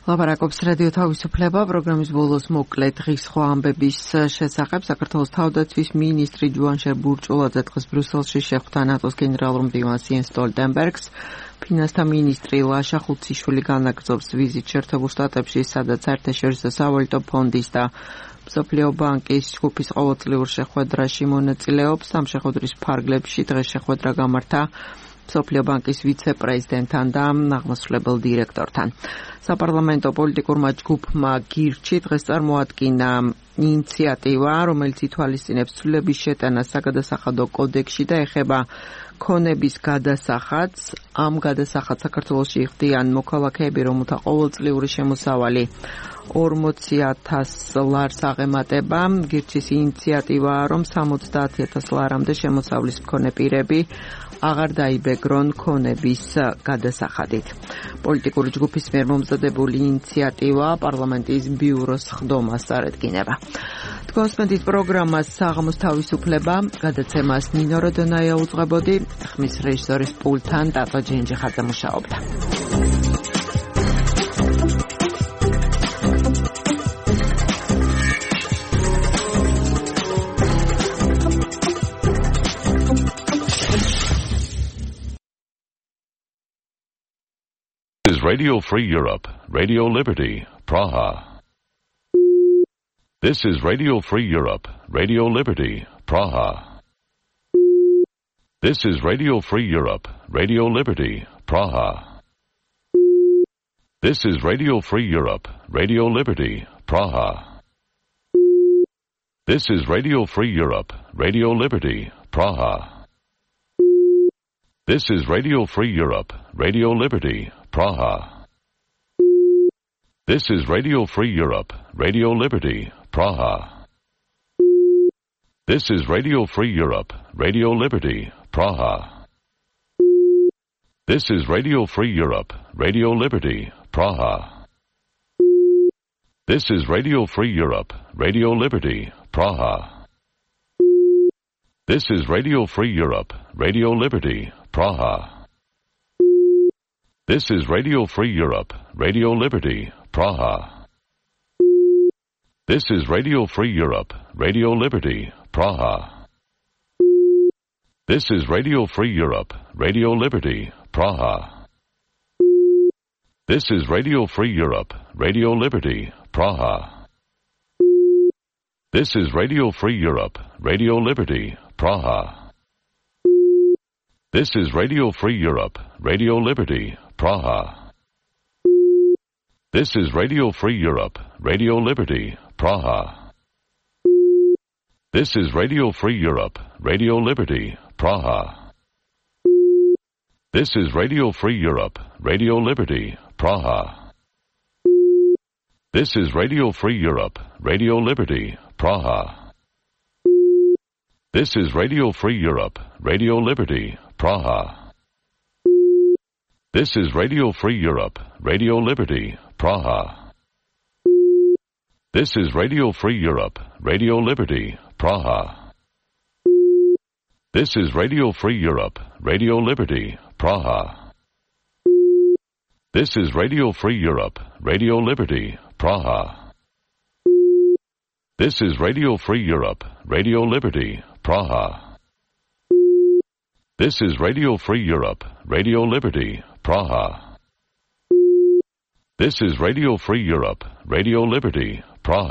ლაპარაკობს რადიო თავისუფლება. პროგრამის ბოლოს მოკლედ დღის სხვა ამბების შესახებ. საქართველოს თავდაცვის მინისტრი ჯუანშერ ბურჭულაძე დღეს ბრიუსელში შეხვდა ნატოს გენერალურ მდივანს იენს სტოლტენბერგს. ფინანსთა მინისტრი ლაშა ხუციშვილი განაგრძობს ვიზით შეერთებულ შტატებში, სადაც საერთაშორისო სავალუტო ფონდის და მსოფლიო ბანკის ჯგუფის ყოველწლიურ შეხვედრაში მონაწილეობს. ამ შეხვედრის ფარგლებში დღეს შეხვედრა გამართა მსოფლიო ბანკის ვიცე-პრეზიდენტთან და აღმასრულებელ დირექტორთან. საპარლამენტო პოლიტიკურმა ჯგუფმა გირჩი დღეს წარმოადგინა ინიციატივა, რომელიც ითვალისწინებს ცვლილების შეტანას საგადასახადო კოდექსში და ეხება ქონების გადასახადს. ამ გადასახადს საქართველოში იხდიან მოქალაქეები, რომელთა ყოველწლიური შემოსავალი ორმოცი ათას ლარს აღემატება. გირჩის ინიციატივაა, რომ სამოცდაათი ათას ლარამდე შემოსავლის მქონე პირები აღარ დაიბეგრონ ქონების გადასახადით. პოლიტიკური ჯგუფის მიერ მომზადებული ინიციატივა პარლამენტის ბიუროს ხდომას წარედგინება. თქვენს პროგრამას საღამოს თავისუფლება, გადაცემას ნინო როდონაია უძღვებოდი, ხმის რეჟისორის პულტთან ტატო ჯენჯიხაძე მუშაობდა. This is Radio Free Europe, Radio Liberty, Praha. This is Radio Free Europe, Radio Liberty, Praha. This is Radio Free Europe, Radio Liberty, Praha. This is Radio Free Europe, Radio Liberty, Praha. This is Radio Free Europe, Radio Liberty, Praha. This is Radio Free Europe, Radio Liberty, Praha. This is Radio Free Europe, Radio Liberty, Praha. This is Radio Free Europe, Radio Liberty, Praha. This is Radio Free Europe, Radio Liberty, Praha. This is Radio Free Europe, Radio Liberty, Praha. This is Radio Free Europe, Radio Liberty, Praha. This is Radio Free Europe, Radio Liberty, Praha. This is Radio Free Europe, Radio Liberty, Praha. This is Radio Free Europe, Radio Liberty, Praha. This is Radio Free Europe, Radio Liberty, Praha. This is Radio Free Europe, Radio Liberty, Praha. This is Radio Free Europe, Radio Liberty, Praha. This is Radio Free Europe, Radio Liberty, Praha. This is Radio Free Europe, Radio Liberty, Praha. This is Radio Free Europe, Radio Liberty, Praha. This is Radio Free Europe, Radio Liberty, Praha. This is Radio Free Europe, Radio Liberty, Praha. This is Radio Free Europe, Radio Liberty, Praha. This is Radio Free Europe, Radio Liberty, Praha. This is Radio Free Europe, Radio Liberty, Praha. This is Radio Free Europe, Radio Liberty, Praha. This is Radio Free Europe, Radio Liberty, Praha. This is Radio Free Europe, Radio Liberty, Praha. This is Radio Free Europe, Radio Liberty, Praha. This is Radio Free Europe,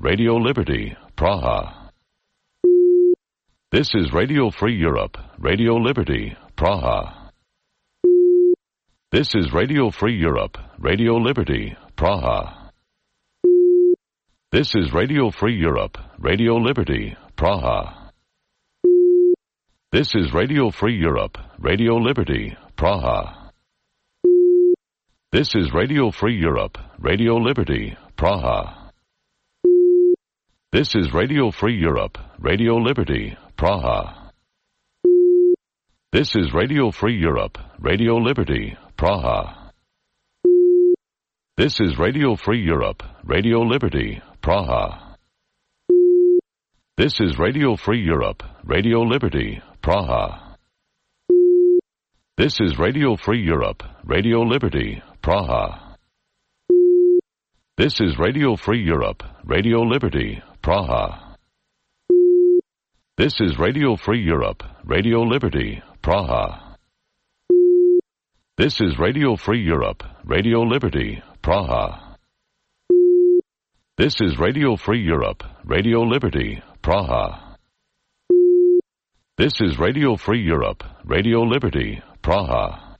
Radio Liberty, Praha. This is Radio Free Europe, Radio Liberty, Praha. This is Radio Free Europe, Radio Liberty, Praha. This is Radio Free Europe, Radio Liberty, Praha. This is Radio Free Europe, Radio Liberty, Praha. This is Radio Free Europe, Radio Liberty, Praha. This is Radio Free Europe, Radio Liberty, Praha. This is Radio Free Europe, Radio Liberty, Praha. This is Radio Free Europe, Radio Liberty, Praha. This is Radio Free Europe, Radio Liberty, Praha. This is Radio Free Europe, Radio Liberty, Praha. This is Radio Free Europe, Radio Liberty, Praha. This is Radio Free Europe, Radio Liberty, Praha. This is Radio Free Europe, Radio Liberty, Praha. This is Radio Free Europe, Radio Liberty, Praha. This is Radio Free Europe, Radio Liberty, Praha.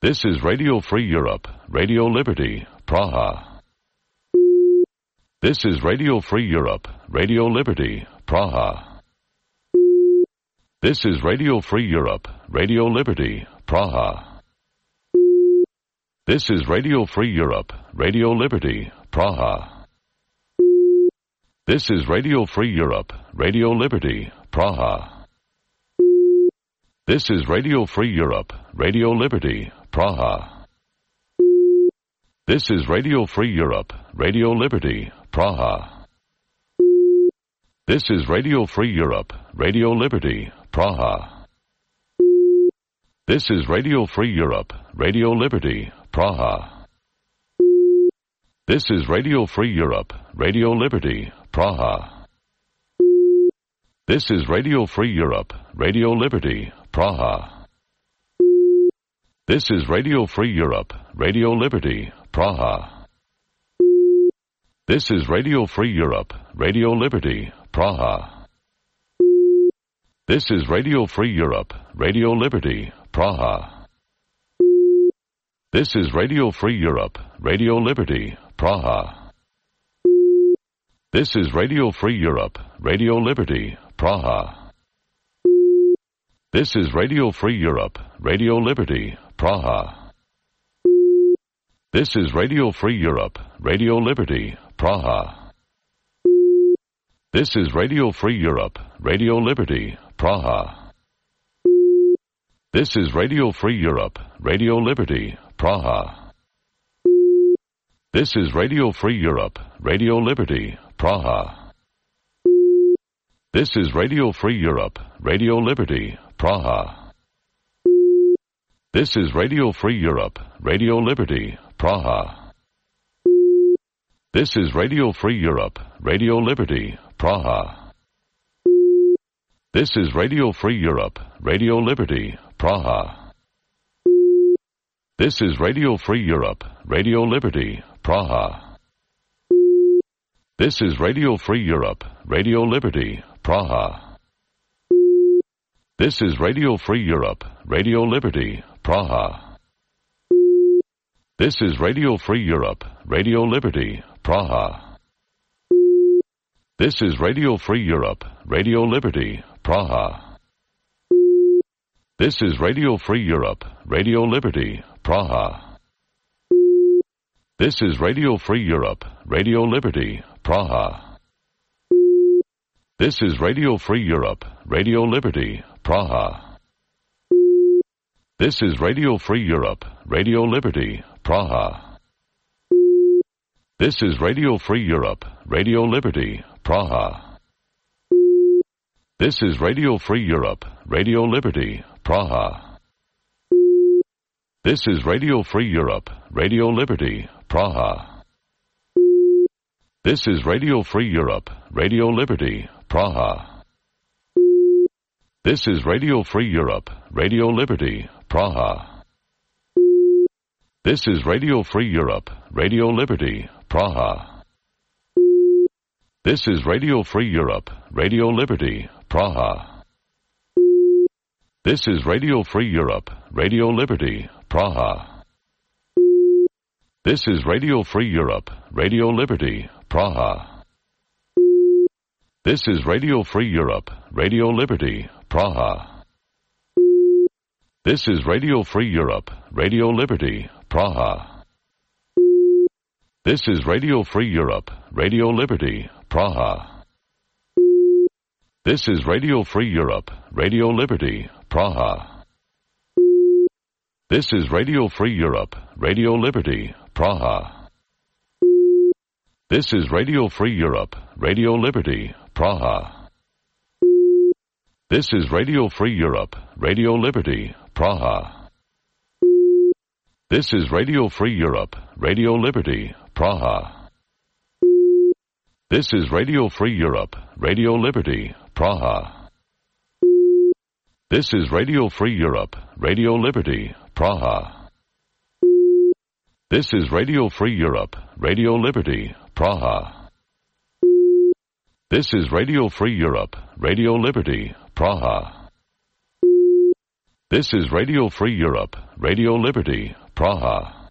This is Radio Free Europe, Radio Liberty, Praha. This is Radio Free Europe, Radio Liberty, Praha. This is Radio Free Europe, Radio Liberty, Praha. This is Radio Free Europe, Radio Liberty, Praha. This is Radio Free Europe, Radio Liberty, Praha. This is Radio Free Europe, Radio Liberty, Praha. This is Radio Free Europe, Radio Liberty, Praha. This is Radio Free Europe, Radio Liberty, Praha. This is Radio Free Europe, Radio Liberty, Praha. This is Radio Free Europe, Radio Liberty, Praha. This is Radio Free Europe, Radio Liberty, Praha. This is Radio Free Europe, Radio Liberty, Praha. This is Radio Free Europe, Radio Liberty, Praha. This is Radio Free Europe, Radio Liberty, Praha. This is Radio Free Europe, Radio Liberty, Praha. This is Radio Free Europe, Radio Liberty, Praha. This is Radio Free Europe, Radio Liberty, Praha. This is Radio Free Europe, Radio Liberty, Praha. This is Radio Free Europe, Radio Liberty, Praha. This is Radio Free Europe, Radio Liberty, Praha. This is Radio Free Europe, Radio Liberty, Praha. This is Radio Free Europe, Radio Liberty, Praha. This is Radio Free Europe, Radio Liberty, Praha. This is Radio Free Europe, Radio Liberty, Praha. This is Radio Free Europe, Radio Liberty, Praha. This is Radio Free Europe, Radio Liberty, Praha. This is Radio Free Europe, Radio Liberty, Praha. This is Radio Free Europe, Radio Liberty, Praha. This is Radio Free Europe, Radio Liberty, Praha. This is Radio Free Europe, Radio Liberty, Praha. This is Radio Free Europe, Radio Liberty, Praha. This is Radio Free Europe, Radio Liberty, Praha. This is Radio Free Europe, Radio Liberty, Praha. This is Radio Free Europe, Radio Liberty, Praha. This is Radio Free Europe, Radio Liberty, Praha. This is Radio Free Europe, Radio Liberty, Praha. This is Radio Free Europe, Radio Liberty, Praha. This is Radio Free Europe, Radio Liberty, Praha. This is Radio Free Europe, Radio Liberty, Praha. This is Radio Free Europe, Radio Liberty, Praha. This is Radio Free Europe, Radio Liberty, Praha. This is Radio Free Europe, Radio Liberty, Praha. This is Radio Free Europe, Radio Liberty, Praha. This is Radio Free Europe, Radio Liberty, Praha. This is Radio Free Europe, Radio Liberty, Praha. This is Radio Free Europe, Radio Liberty, Praha. This is Radio Free Europe, Radio Liberty, Praha. This is Radio Free Europe, Radio Liberty, Praha. This is Radio Free Europe, Radio Liberty, Praha. This is Radio Free Europe, Radio Liberty, Praha. This is Radio Free Europe, Radio Liberty, Praha. This is Radio Free Europe, Radio Liberty, Praha. This is Radio Free Europe, Radio Liberty, Praha. This is Radio Free Europe, Radio Liberty, Praha. This is Radio Free Europe, Radio Liberty, Praha. This is Radio Free Europe, Radio Liberty, Praha.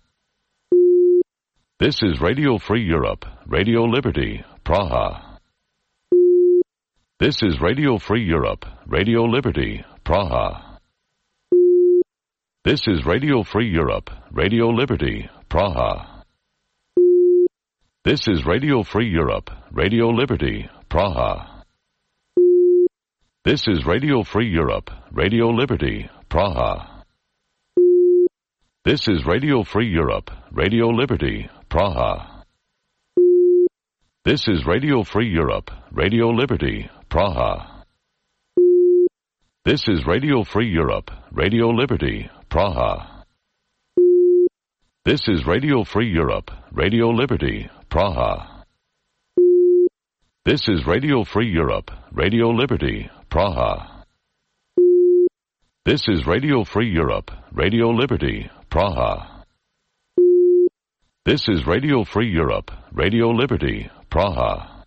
This is Radio Free Europe, Radio Liberty, Praha. This is Radio Free Europe, Radio Liberty, Praha. This is Radio Free Europe, Radio Liberty, Praha. This is Radio Free Europe, Radio Liberty, Praha. This is Radio Free Europe, Radio Liberty, Praha. This is Radio Free Europe, Radio Liberty, Praha. This is Radio Free Europe, Radio Liberty, Praha. This is Radio Free Europe, Radio Liberty, Praha. This is Radio Free Europe, Radio Liberty, Praha. This is Radio Free Europe, Radio Liberty, Praha. This is Radio Free Europe, Radio Liberty, Praha. This is Radio Free Europe, Radio Liberty, Praha.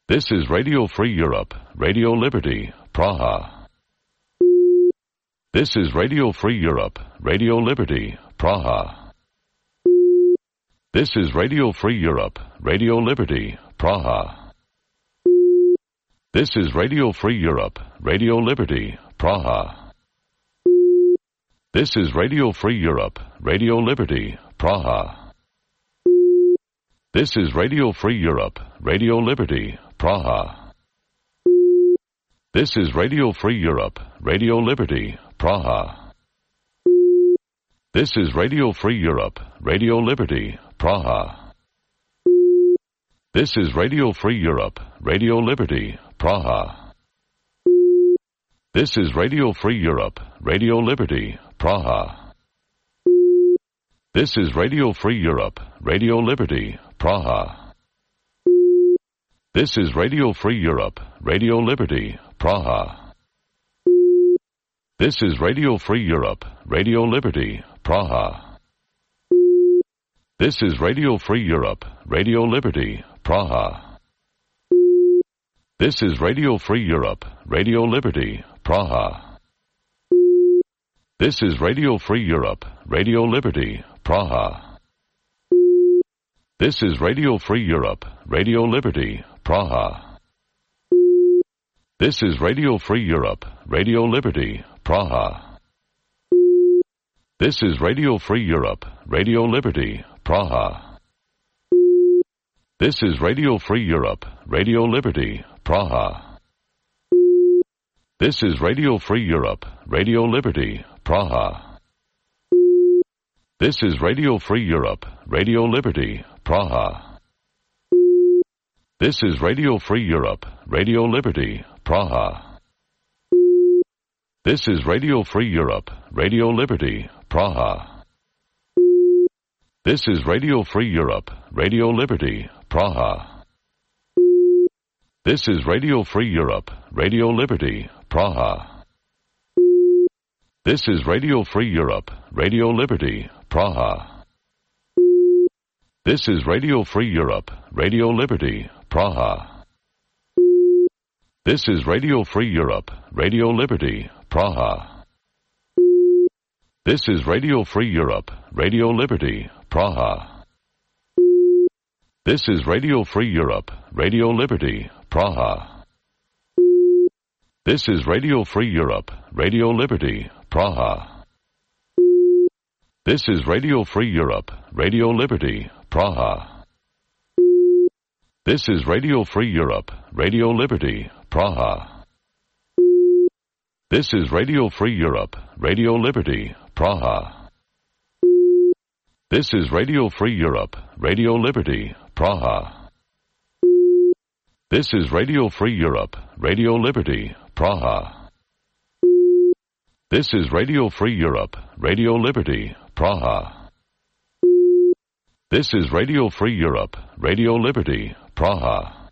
This is Radio Free Europe, Radio Liberty, Praha. This is Radio Free Europe, Radio Liberty, Praha. This is Radio Free Europe, Radio Liberty, Praha. This is Radio Free Europe, Radio Liberty, Praha. This is Radio Free Europe, Radio Liberty, Praha. This is Radio Free Europe, Radio Liberty, Praha. This is Radio Free Europe, Radio Liberty, Praha. This is Radio Free Europe, Radio Liberty, Praha. This is Radio Free Europe, Radio Liberty, Praha. This is Radio Free Europe, Radio Liberty, Praha. This is Radio Free Europe, Radio Liberty, Praha. This is Radio Free Europe, Radio Liberty, Praha. This is Radio Free Europe, Radio Liberty, Praha. This is Radio Free Europe, Radio Liberty, Praha. This is Radio Free Europe, Radio Liberty, Praha. This is Radio Free Europe, Radio Liberty, Praha. This is Radio Free Europe, Radio Liberty, Praha. This is Radio Free Europe, Radio Liberty, Praha. This is Radio Free Europe, Radio Liberty, Praha. This is Radio Free Europe, Radio Liberty, Praha. This is Radio Free Europe, Radio Liberty, Praha. This is Radio Free Europe, Radio Liberty, Praha. This is Radio Free Europe, Radio Liberty, Praha. This is Radio Free Europe, Radio Liberty, Praha. This is Radio Free Europe, Radio Liberty, Praha. This is Radio Free Europe, Radio Liberty, Praha. This is Radio Free Europe, Radio Liberty, Praha. This is Radio Free Europe, Radio Liberty, Praha. This is Radio Free Europe, Radio Liberty, Praha. This is Radio Free Europe, Radio Liberty, Praha. This is Radio Free Europe, Radio Liberty, Praha. This is Radio Free Europe, Radio Liberty, Praha. This is Radio Free Europe, Radio Liberty, Praha. This is Radio Free Europe, Radio Liberty, Praha. This is Radio Free Europe, Radio Liberty, Praha. This is Radio Free Europe, Radio Liberty, Praha. This is Radio Free Europe, Radio Liberty, Praha. This is Radio Free Europe, Radio Liberty, Praha. This is Radio Free Europe, Radio Liberty, Praha.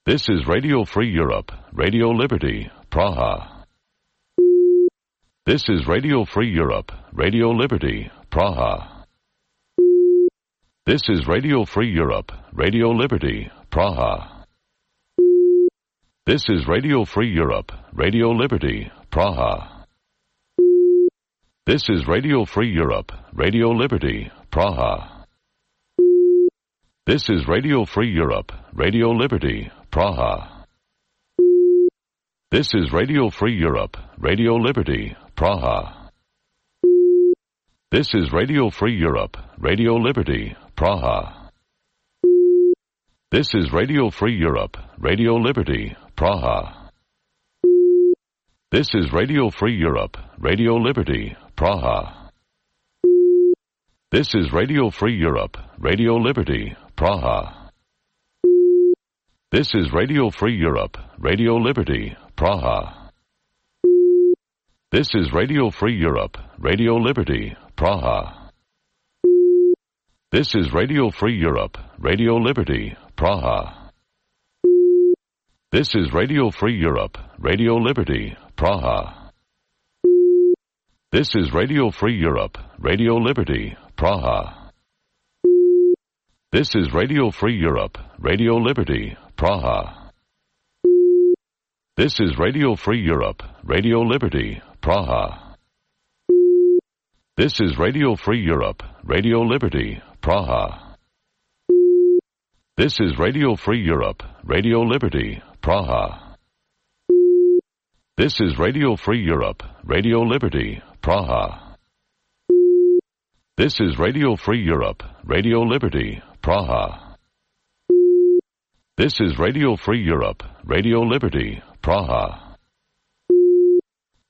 This is Radio Free Europe, Radio Liberty, Praha. This is Radio Free Europe, Radio Liberty, Praha. This is Radio Free Europe, Radio Liberty, Praha. This is Radio Free Europe, Radio Liberty, Praha. This is Radio Free Europe, Radio Liberty, Praha. This is Radio Free Europe, Radio Liberty, Praha. This is Radio Free Europe, Radio Liberty, Praha. This is Radio Free Europe, Radio Liberty, Praha. This is Radio Free Europe, Radio Liberty, Praha. This is Radio Free Europe, Radio Liberty, Praha. This is Radio Free Europe, Radio Liberty, Praha. This is Radio Free Europe, Radio Liberty, Praha. This is Radio Free Europe, Radio Liberty, Praha. This is Radio Free Europe, Radio Liberty, Praha. This is Radio Free Europe, Radio Liberty, Praha. This is Radio Free Europe, Radio Liberty, Praha. This is Radio Free Europe, Radio Liberty, Praha. This is Radio Free Europe, Radio Liberty, Praha. This is Radio Free Europe, Radio Liberty, Praha. This is Radio Free Europe, Radio Liberty, Praha. This is Radio Free Europe, Radio Liberty, Praha. This is Radio Free Europe, Radio Liberty, Praha. This is Radio Free Europe, Radio Liberty, Praha.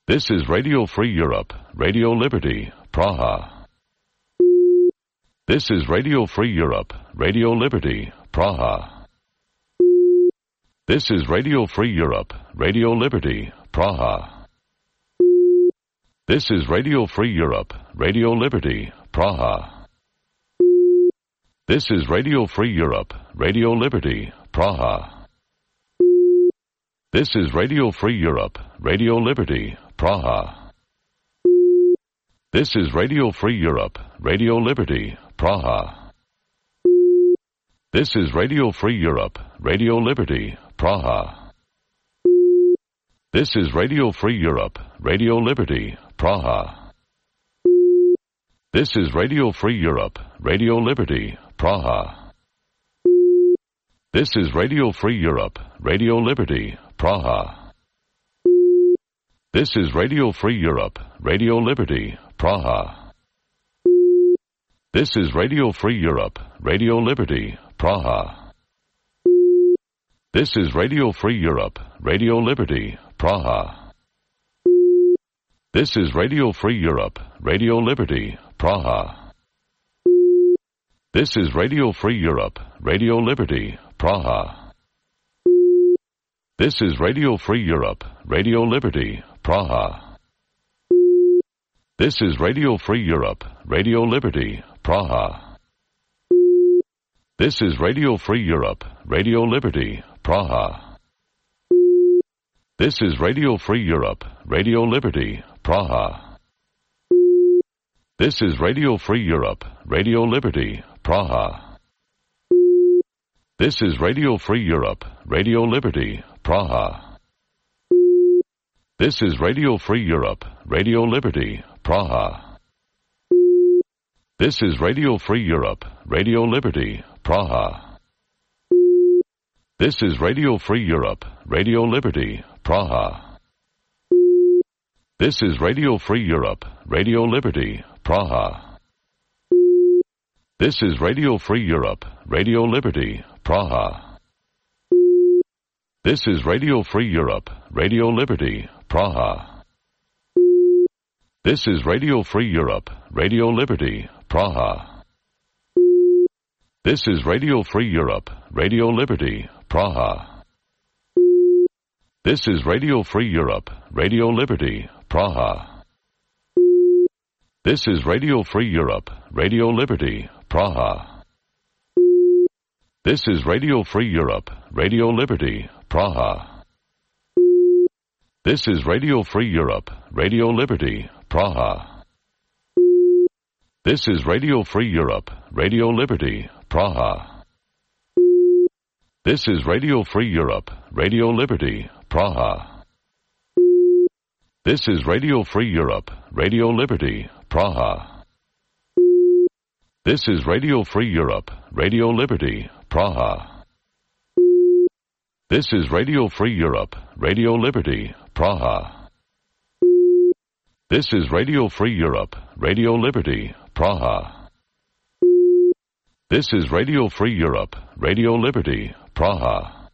This is Radio Free Europe, Radio Liberty, Praha. This is Radio Free Europe, Radio Liberty, Praha. This is Radio Free Europe, Radio Liberty, Praha. This is Radio Free Europe, Radio Liberty, Praha. This is Radio Free Europe, Radio Liberty, Praha. This is Radio Free Europe, Radio Liberty, Praha. This is Radio Free Europe, Radio Liberty, Praha. This is Radio Free Europe, Radio Liberty, Praha. This is Radio Free Europe, Radio Liberty, Praha. This is Radio Free Europe, Radio Liberty, Praha. This is Radio Free Europe, Radio Liberty, Praha. This is Radio Free Europe, Radio Liberty, Praha. This is Radio Free Europe, Radio Liberty, Praha. This is Radio Free Europe, Radio Liberty, Praha. This is Radio Free Europe, Radio Liberty, Praha. This is Radio Free Europe, Radio Liberty, Praha. This is Radio Free Europe, Radio Liberty, Praha. This is Radio Free Europe, Radio Liberty, Praha. This is Radio Free Europe, Radio Liberty, Praha. This is Radio Free Europe, Radio Liberty, Praha. This is Radio Free Europe, Radio Liberty, Praha. This is Radio Free Europe, Radio Liberty, Praha. This is Radio Free Europe, Radio Liberty, Praha. This is Radio Free Europe, Radio Liberty, Praha. This is Radio Free Europe, Radio Liberty, Praha. This is Radio Free Europe, Radio Liberty, Praha. This is Radio Free Europe, Radio Liberty, Praha. This is Radio Free Europe, Radio Liberty, Praha. This is Radio Free Europe, Radio Liberty, Praha. This is Radio Free Europe, Radio Liberty, Praha. This is Radio Free Europe, Radio Liberty, Praha. This is Radio Free Europe, Radio Liberty, Praha. This is Radio Free Europe, Radio Liberty, Praha. This is Radio Free Europe, Radio Liberty, Praha. This is Radio Free Europe, Radio Liberty, Praha. This is Radio Free Europe, Radio Liberty, Praha. This is Radio Free Europe, Radio Liberty, Praha. This is Radio Free Europe, Radio Liberty, Praha. This is Radio Free Europe, Radio Liberty, Praha. This is Radio Free Europe, Radio Liberty, Praha. This is Radio Free Europe, Radio Liberty, Praha.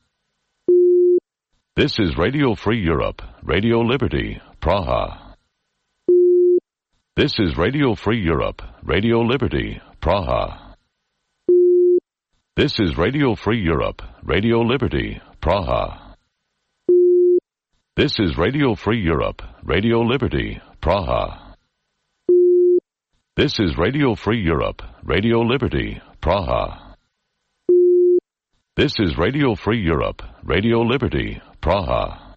This is Radio Free Europe, Radio Liberty, Praha. This is Radio Free Europe, Radio Liberty, Praha. This is Radio Free Europe, Radio Liberty, Praha. This is Radio Free Europe, Radio Liberty, Praha. This is Radio Free Europe, Radio Liberty, Praha. This is Radio Free Europe, Radio Liberty, Praha.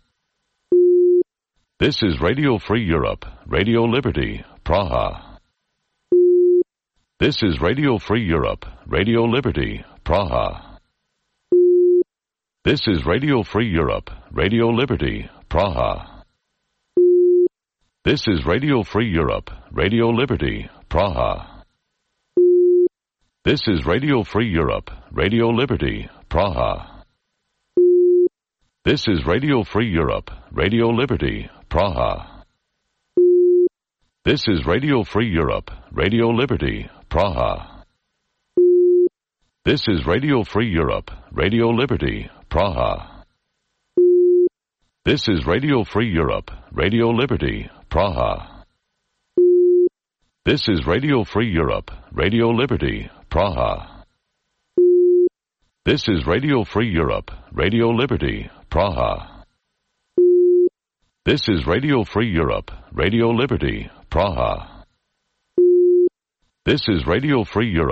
This is Radio Free Europe, Radio Liberty, Praha. This is Radio Free Europe, Radio Liberty, Praha. This is Radio Free Europe, Radio Liberty, Praha. This is Radio Free Europe, Radio Liberty, Praha. This is Radio Free Europe, Radio Liberty, Praha. This is Radio Free Europe, Radio Liberty, Praha. This is Radio Free Europe, Radio Liberty, Praha. This is Radio Free Europe, Radio Liberty, Praha. This is Radio Free Europe, Radio Liberty, Praha. This is Radio Free Europe, Radio Liberty, Praha. This is Radio Free Europe, Radio Liberty, Praha. This is Radio Free Europe, Radio Liberty, Praha. This is Radio Free Europe,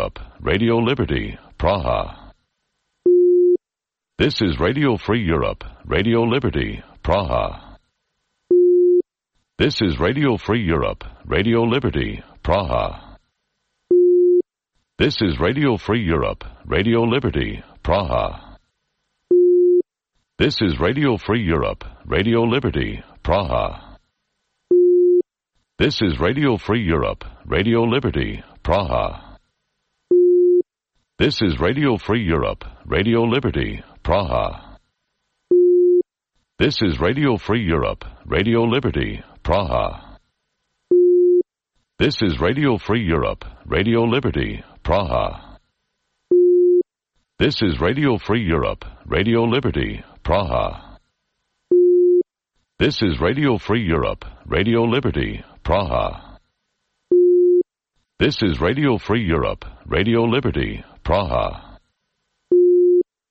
Radio Liberty, Praha. This is Radio Free Europe, Radio Liberty, Praha. This is Radio Free Europe, Radio Liberty, Praha. This is Radio Free Europe, Radio Liberty, Praha. This is Radio Free Europe, Radio Liberty, Praha. This is Radio Free Europe, Radio Liberty, Praha. This is Radio Free Europe, Radio Liberty, Praha. This is Radio Free Europe, Radio Liberty, Praha. This is Radio Free Europe, Radio Liberty, Praha. This is Radio Free Europe, Radio Liberty, Praha. This is Radio Free Europe, Radio Liberty, Praha. This is Radio Free Europe, Radio Liberty, Praha. This is Radio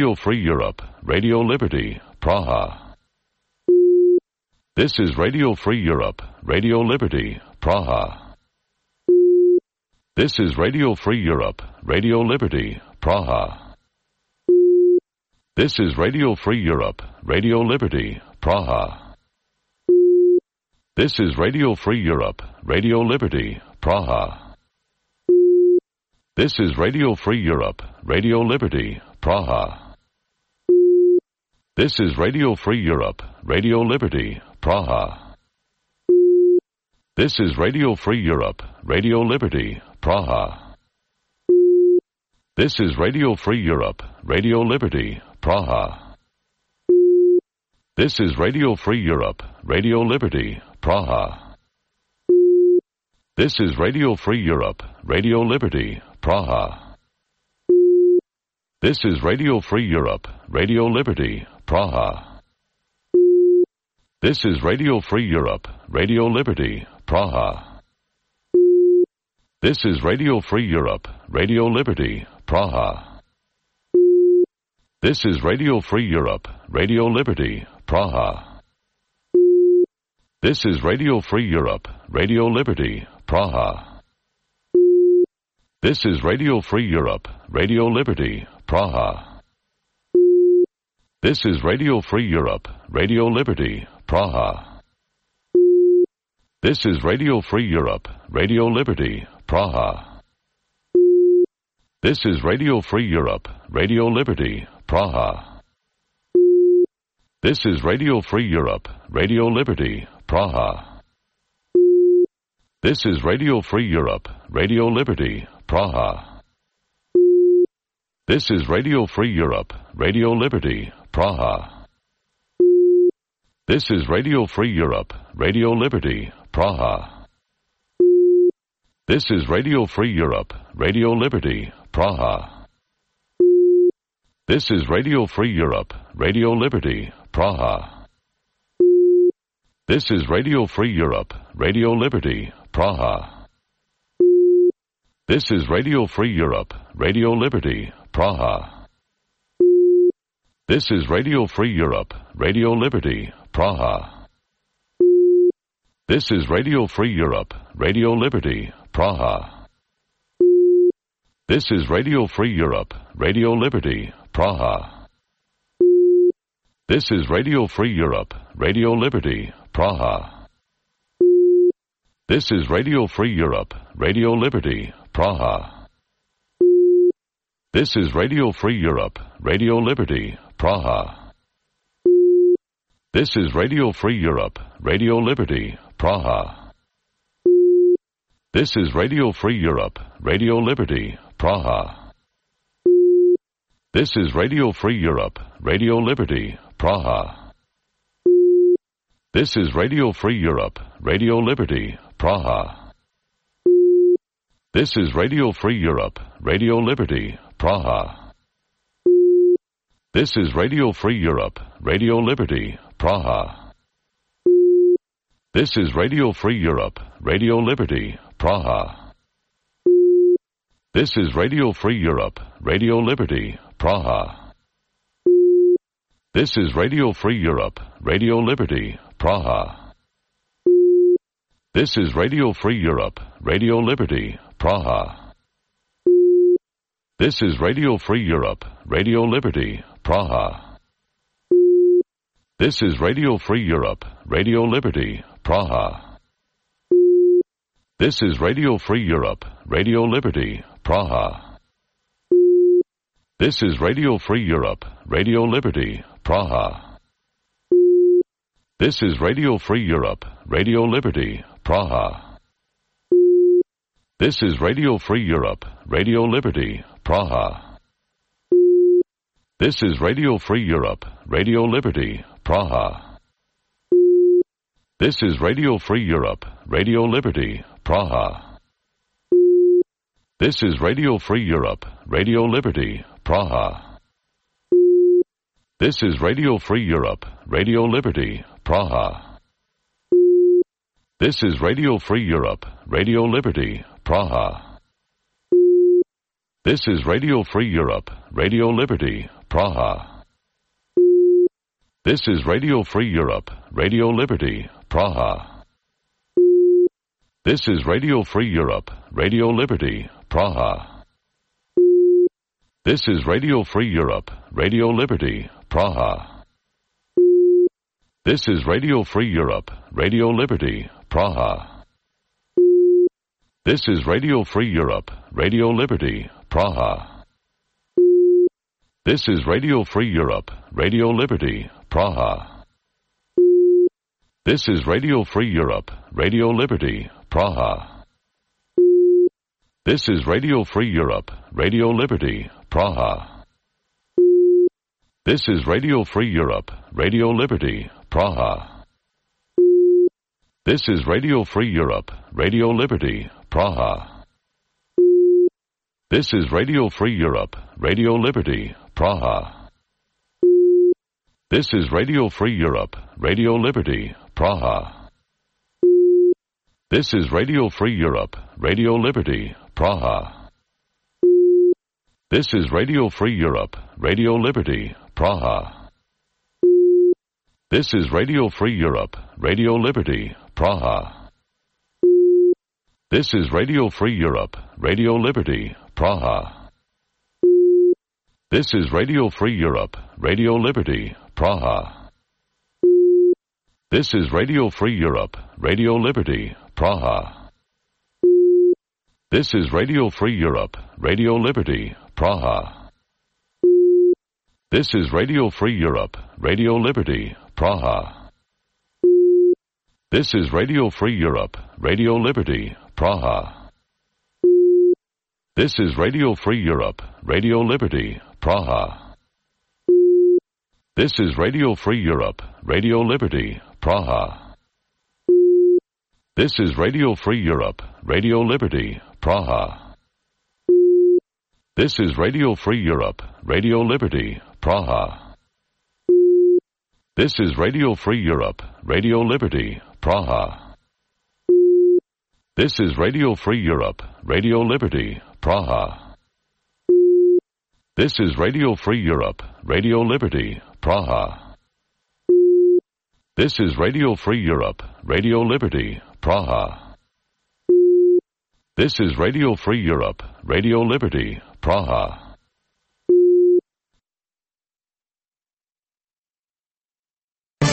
Free Europe, Radio Liberty, Praha. This is Radio Free Europe, Radio Liberty, Praha. This is Radio Free Europe, Radio Liberty, Praha. This is Radio Free Europe, Radio Liberty, Praha. This is Radio Free Europe, Radio Liberty, Praha. This is Radio Free Europe, Radio Liberty, Praha. This is Radio Free Europe, Radio Liberty, Praha. This is Radio Free Europe, Radio Liberty, Praha. This is Radio Free Europe, Radio Liberty, Praha. This is Radio Free Europe, Radio Liberty, Praha. This is Radio Free Europe, Radio Liberty, Praha. This is Radio Free Europe, Radio Liberty, Praha. This is Radio Free Europe, Radio Liberty, Praha. This is Radio Free Europe, Radio Liberty, Praha. This is Radio Free Europe, Radio Liberty, Praha. This is Radio Free Europe, Radio Liberty, Praha. This is Radio Free Europe, Radio Liberty, Praha. This is Radio Free Europe, Radio Liberty, Praha. This is Radio Free Europe, Radio Liberty, Praha. This is Radio Free Europe, Radio Liberty, Praha. This is Radio Free Europe, Radio Liberty, Praha. This is Radio Free Europe, Radio Liberty, Praha. This is Radio Free Europe, Radio Liberty, Praha. This is Radio Free Europe, Radio Liberty, Praha. This is Radio Free Europe, Radio Liberty, Praha. This is Radio Free Europe, Radio Liberty, Praha. This is Radio Free Europe, Radio Liberty, Praha. This is Radio Free Europe, Radio Liberty, Praha. This is Radio Free Europe, Radio Liberty, Praha. This is Radio Free Europe, Radio Liberty, Praha. This is Radio Free Europe, Radio Liberty, Praha. This is Radio Free Europe, Radio Liberty, Praha. This is Radio Free Europe, Radio Liberty, Praha. This is Radio Free Europe, Radio Liberty, Praha. This is Radio Free Europe, Radio Liberty, Praha. This is Radio Free Europe, Radio Liberty, Praha. This is Radio Free Europe, Radio Liberty, Praha. This is Radio Free Europe, Radio Liberty, Praha. This is Radio Free Europe, Radio Liberty, Praha. This is Radio Free Europe, Radio Liberty, Praha. This is Radio Free Europe, Radio Liberty, Praha. This is Radio Free Europe, Radio Liberty, Praha. This is Radio Free Europe, Radio Liberty, Praha. This is Radio Free Europe, Radio Liberty, Praha. This is Radio Free Europe, Radio Liberty, Praha. This is Radio Free Europe, Radio Liberty, Praha. This is Radio Free Europe, Radio Liberty, Praha. This is Radio Free Europe, Radio Liberty, Praha. This is Radio Free Europe, Radio Liberty, Praha. This is Radio Free Europe, Radio Liberty, Praha. This is Radio Free Europe, Radio Liberty, Praha. This is Radio Free Europe, Radio Liberty, Praha. This is Radio Free Europe, Radio Liberty, Praha. This is Radio Free Europe, Radio Liberty, Praha. This is Radio Free Europe, Radio Liberty, Praha. This is Radio Free Europe, Radio Liberty, Praha. This is Radio Free Europe, Radio Liberty, Praha. This is Radio Free Europe, Radio Liberty, Praha. This is Radio Free Europe, Radio Liberty, Praha. This is Radio Free Europe, Radio Liberty, Praha. This is Radio Free Europe, Radio Liberty, Praha. This is Radio Free Europe, Radio Liberty, Praha. This is Radio Free Europe, Radio Liberty, Praha. This is Radio Free Europe, Radio Liberty, Praha. This is Radio Free Europe, Radio Liberty, Praha. This is Radio Free Europe, Radio Liberty, Praha. This is Radio Free Europe, Radio Liberty, Praha. This is Radio Free Europe, Radio Liberty, Praha. This is Radio Free Europe, Radio Liberty, Praha. This is Radio Free Europe, Radio Liberty, Praha. This is Radio Free Europe, Radio Liberty, Praha. This is Radio Free Europe, Radio Liberty, Praha. This is Radio Free Europe, Radio Liberty, Praha. This is Radio Free Europe, Radio Liberty, Praha. This is Radio Free Europe, Radio Liberty, Praha. This is Radio Free Europe, Radio Liberty, Praha. This is Radio Free Europe, Radio Liberty, Praha. This is Radio Free Europe, Radio Liberty, Praha. This is Radio Free Europe, Radio Liberty, Praha. This is Radio Free Europe, Radio Liberty, Praha. This is Radio Free Europe, Radio Liberty, Praha. This is Radio Free Europe, Radio Liberty, Praha. This is Radio Free Europe, Radio Liberty, Praha. This is Radio Free Europe, Radio Liberty, Praha. This is Radio Free Europe, Radio Liberty, Praha. This is Radio Free Europe, Radio Liberty, Praha.